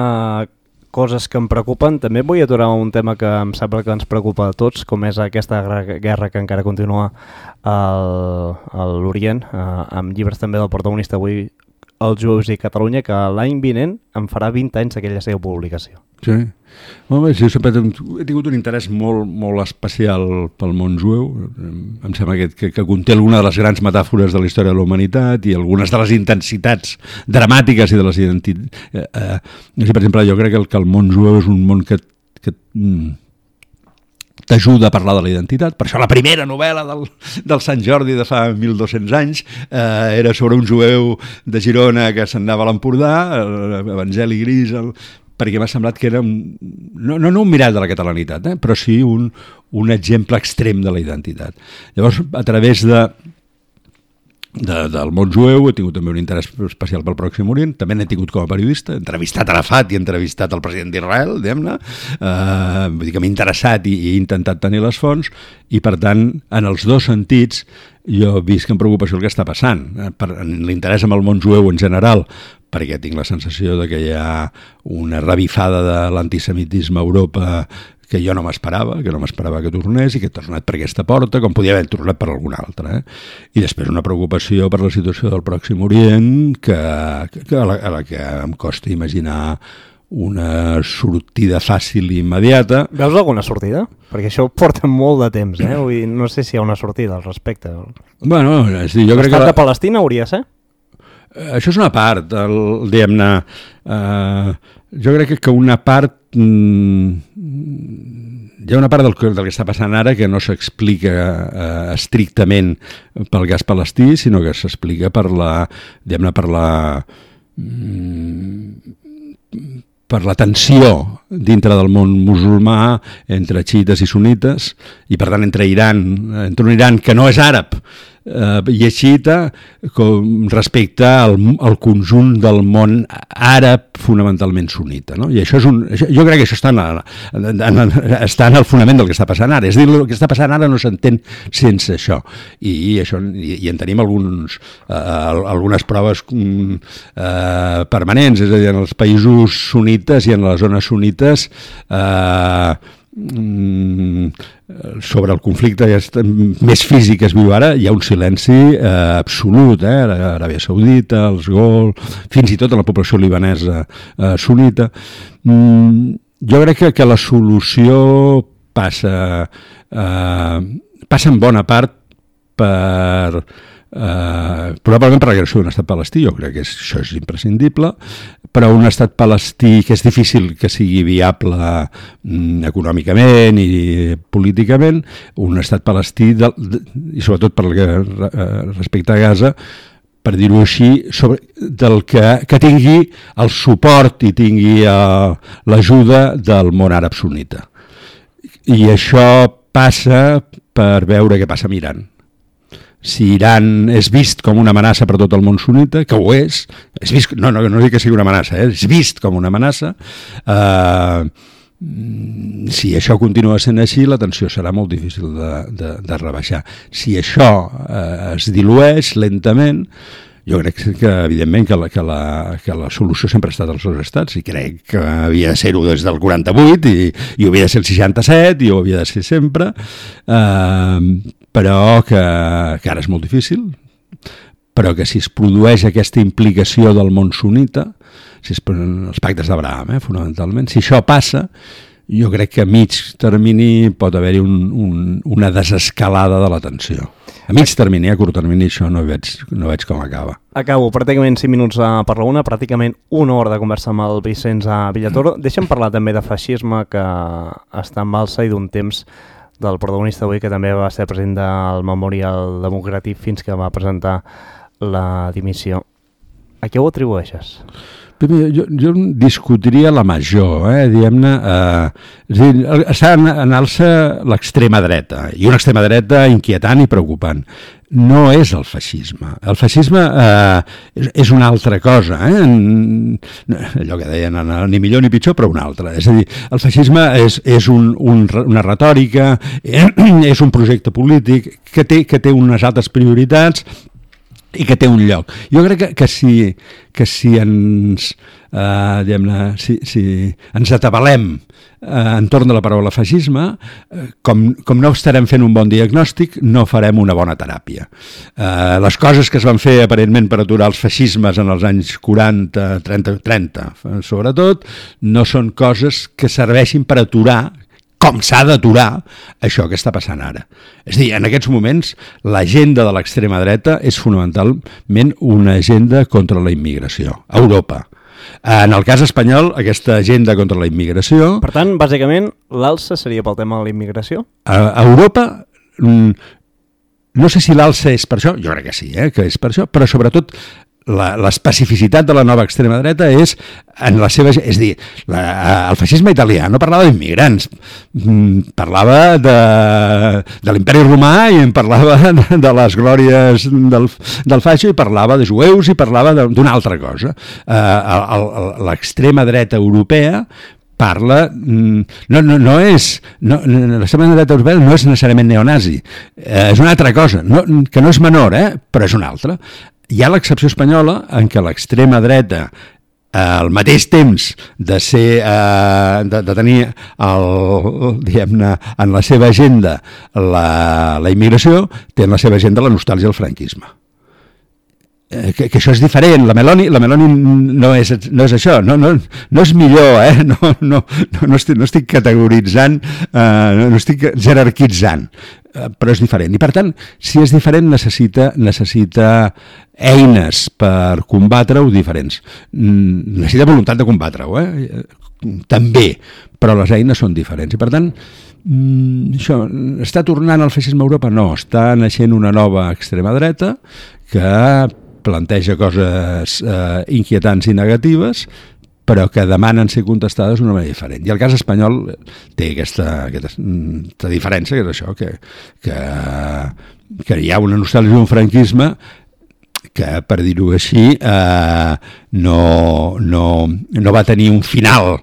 B: coses que em preocupen. També vull aturar un tema que em sembla que ens preocupa a tots, com és aquesta guerra que encara continua a l'Orient, amb llibres també del protagonista avui, Els jueus i Catalunya, que l'any vinent em farà 20 anys d'aquella seva publicació.
C: Sí. Home, sí, sempre he tingut un interès molt, molt especial pel món jueu. Em sembla que conté alguna de les grans metàfores de la història de la humanitat i algunes de les intensitats dramàtiques i de les identitats. Per exemple, jo crec que el món jueu és un món que t'ajuda a parlar de la identitat. Per això la primera novel·la del Sant Jordi de fa 1.200 anys era sobre un jueu de Girona que se'n anava a l'Empordà, Evangeli Gris, perquè m'ha semblat que era no un mirall de la catalanitat, però sí un exemple extrem de la identitat. Llavors, a través del món jueu he tingut també un interès especial pel Pròxim Orient, també n'he tingut com a periodista, he entrevistat Arafat i he entrevistat el president d'Israel, diguem-ne, vull dir que m'he interessat i he intentat tenir les fonts, i per tant, en els dos sentits, jo visc amb preocupació el que està passant, en l'interès amb el món jueu en general, perquè tinc la sensació de que hi ha una revifada de l'antisemitisme a Europa que jo no m'esperava que tornés i que ha tornat per aquesta porta, com podia haver tornat per alguna altra. I després una preocupació per la situació del Pròxim Orient a la que em costa imaginar una sortida fàcil i immediata.
B: Veus alguna sortida? Perquè això porta molt de temps, Vull dir, no sé si hi ha una sortida al respecte.
C: Bueno, és dir, jo crec que...
B: L'estat de Palestina hauria de ser?
C: Això és una part, diguem-ne, jo crec que una part, hi ha una part del que està passant ara que no s'explica estrictament pel gas palestí, sinó que s'explica per la tensió dintre del món musulmà entre xiites i sunites i per tant entre un Iran que no és àrab i és xiita respecte al conjunt del món àrab fonamentalment sunita, no? I això jo crec que això està en el fonament del que està passant ara. És a dir, el que està passant ara no s'entén sense això. I en tenim algunes proves permanents, és a dir, en els països sunites i en les zones sunites sobre el conflicte més físic que es viu ara, hi ha un silenci absolut, l'Aràbia Saudita, els Golf, fins i tot a la població libanesa sunita. Jo crec que la solució passa en bona part probablement per la creació d'un estat palestí. Jo crec que això és imprescindible, però un estat palestí que és difícil que sigui viable econòmicament i políticament, un estat palestí i sobretot per respecte a Gaza, per dir-ho així, del que tingui el suport i tingui l'ajuda del món àrab sunnita. I això passa per veure què passa amb Iran. Si Iran és vist com una amenaça per tot el món sunnita, que ho és vist, no dic que sigui una amenaça, és vist com una amenaça, si això continua sent així, la tensió serà molt difícil de rebaixar. Si això es dilueix lentament, jo crec que, evidentment, que la solució sempre ha estat als dos estats, i crec que havia de ser-ho des del 48, i ho havia de ser el 67, i ho havia de ser sempre, però que ara és molt difícil, però que si es produeix aquesta implicació del món sunnita, els pactes d'Abraham, fonamentalment, si això passa, jo crec que a mig termini pot haver-hi una desescalada de la tensió. A mig termini, a curt termini, això no veig com acaba.
B: Acabo, pràcticament 5 minuts per la una, pràcticament una hora de conversa amb el Vicenç Villatoro. Deixa'm parlar també de feixisme, que està en alça, i d'un temps del protagonista avui, que també va ser president del Memorial Democràtic fins que va presentar la dimissió. A què ho atribueixes?
C: Jo discutiria la major, diguem-ne, és a dir, està en alça l'extrema dreta, i una extrema dreta inquietant i preocupant. No és el feixisme. El feixisme és una altra cosa, allò que deien, ni millor ni pitjor, però una altra. És a dir, el feixisme és una retòrica, és un projecte polític que té unes altres prioritats i que té un lloc. Jo crec que si ens si ens atabalem entorn de la paraula feixisme, com no estarem fent un bon diagnòstic, no farem una bona teràpia. Les coses que es van fer aparentment per aturar els feixismes en els anys 40, 30 sobretot, no són coses que serveixin per aturar com s'ha d'aturar això que està passant ara. És a dir, en aquests moments, l'agenda de l'extrema dreta és fonamentalment una agenda contra la immigració, a Europa. En el cas espanyol, aquesta agenda contra la immigració...
B: Per tant, bàsicament, l'alça seria pel tema de la immigració?
C: A Europa, no sé si l'alça és per això, jo crec que sí, que és per això, però sobretot l'especificitat de la nova extrema dreta és en la seva... És a dir, el feixisme italià no parlava d'immigrants, parlava de l'imperi romà i en parlava de les glòries del fascio i parlava de jueus i parlava d'una altra cosa. L'extrema dreta europea parla... l'extrema dreta europea no és necessàriament neonazi, és una altra cosa, que no és menor, però és una altra. Hi ha l'excepció espanyola en què l'extrema dreta, al mateix temps de tenir diguem-ne, en la seva agenda la immigració, té en la seva agenda la nostàlgia del franquisme. Que això és diferent, la Meloni no és això, no és millor, no estic categoritzant, no estic jerarquitzant, però és diferent. I per tant, si és diferent, necessita eines per combatre-ho diferents. Necessita voluntat de combatre-ho, també, però les eines són diferents. I per tant, això, està tornant el feixisme a Europa? No, està naixent una nova extrema dreta que planteja coses inquietants i negatives, però que demanen ser contestades d'una manera diferent. I el cas espanyol té aquesta diferència, que és això, que hi ha una nostàlgia d'un franquisme que, per dir-ho així, no va tenir un final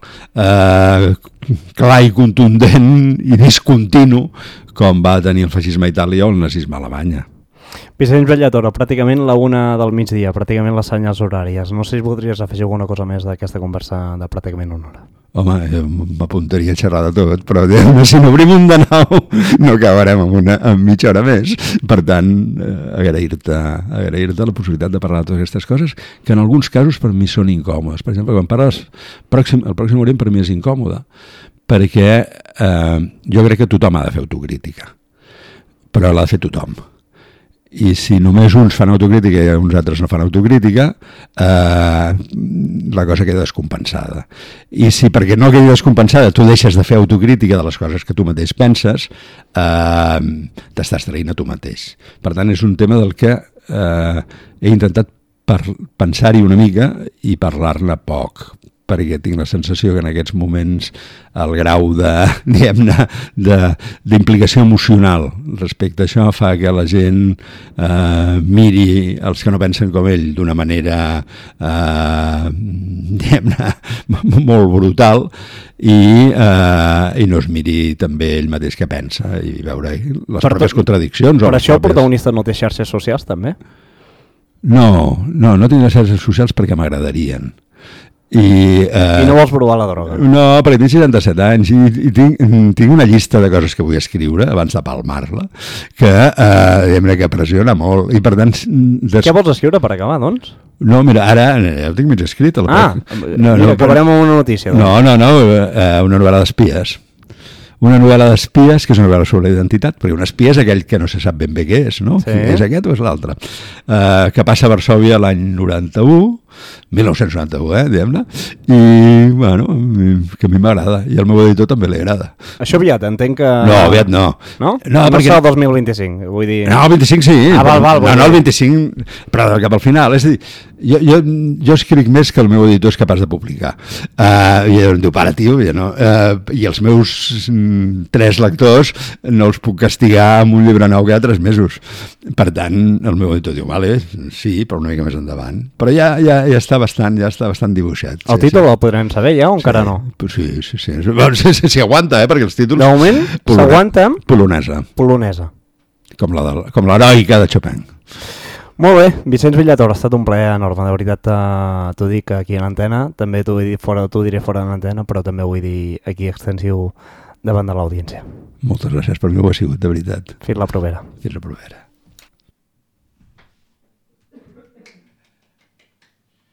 C: clar i contundent i discontinu com va tenir el feixisme a Itàlia o el nazisme a Alemanya.
B: Vicenç Bellatora, pràcticament la 1 del migdia, pràcticament les senyals horàries. No sé si voldries afegir alguna cosa més d'aquesta conversa de pràcticament 1 hora.
C: Home, m'apuntaria a xerrar de tot, però si n'obrim un de nou no acabarem amb mitja hora més. Per tant, agrair-te la possibilitat de parlar de totes aquestes coses que en alguns casos per mi són incòmodes. Per exemple, quan parles el Pròxim Orient per mi és incòmode, perquè jo crec que tothom ha de fer autocrítica, però l'ha de fer tothom. I si només uns fan autocrítica i uns altres no fan autocrítica, la cosa queda descompensada. I si perquè no quedi descompensada tu deixes de fer autocrítica de les coses que tu mateix penses, t'estàs traint a tu mateix. Per tant, és un tema del que he intentat pensar-hi una mica i parlar-ne poc, perquè tinc la sensació que en aquests moments el grau d'implicació emocional respecte a això fa que la gent miri els que no pensen com ell d'una manera molt brutal i no es miri també ell mateix què pensa i veure les pròpies contradiccions.
B: Per això el protagonista no té xarxes socials també?
C: No tinc les xarxes socials perquè m'agradarien.
B: I no vols provar la droga?
C: No, perquè tinc 67 anys i tinc una llista de coses que vull escriure abans de palmar-la que pressiona molt i per tant...
B: Què vols escriure per acabar, doncs?
C: No, mira, ara ja ho tinc mig escrit.
B: Acabarem amb una notícia.
C: Doncs. No, una novel·la d'espies. Una novel·la d'espies, que és una novel·la sobre identitat, perquè un espia és aquell que no se sap ben bé què és, no? Sí. És aquest o és l'altre? Que passa a Varsòvia l'any 91, 1991, diguem-ne, i, bueno, que a mi m'agrada, i al meu editor també li agrada.
B: Això aviat, entenc que...
C: No, aviat no.
B: No?
C: No,
B: perquè...
C: perquè...
B: el 2025, vull dir...
C: No, el 25 sí.
B: Val.
C: No, el 25, però cap al final. És a dir, jo escric més que el meu editor és capaç de publicar. I em diu, para, tio, i els meus 3 lectors no els puc castigar amb un llibre nou cada 3 mesos. Per tant, el meu editor diu, vale, sí, però una mica més endavant. Però ja està bastant dibuixat.
B: El títol el podrem saber ja o encara no?
C: Sí. Sí, aguanta, perquè els títols...
B: De moment s'aguanta...
C: Polonesa. Com l'heroica de Chopin.
B: Molt bé, Vicenç Villator, ha estat un plaer enorme, de veritat t'ho dic aquí a l'antena, també t'ho diré fora de l'antena, però també ho vull dir aquí extensiu davant de l'audiència.
C: Moltes gràcies, per mi ho ha sigut, de veritat.
B: Fins la propera.
C: Fins la propera.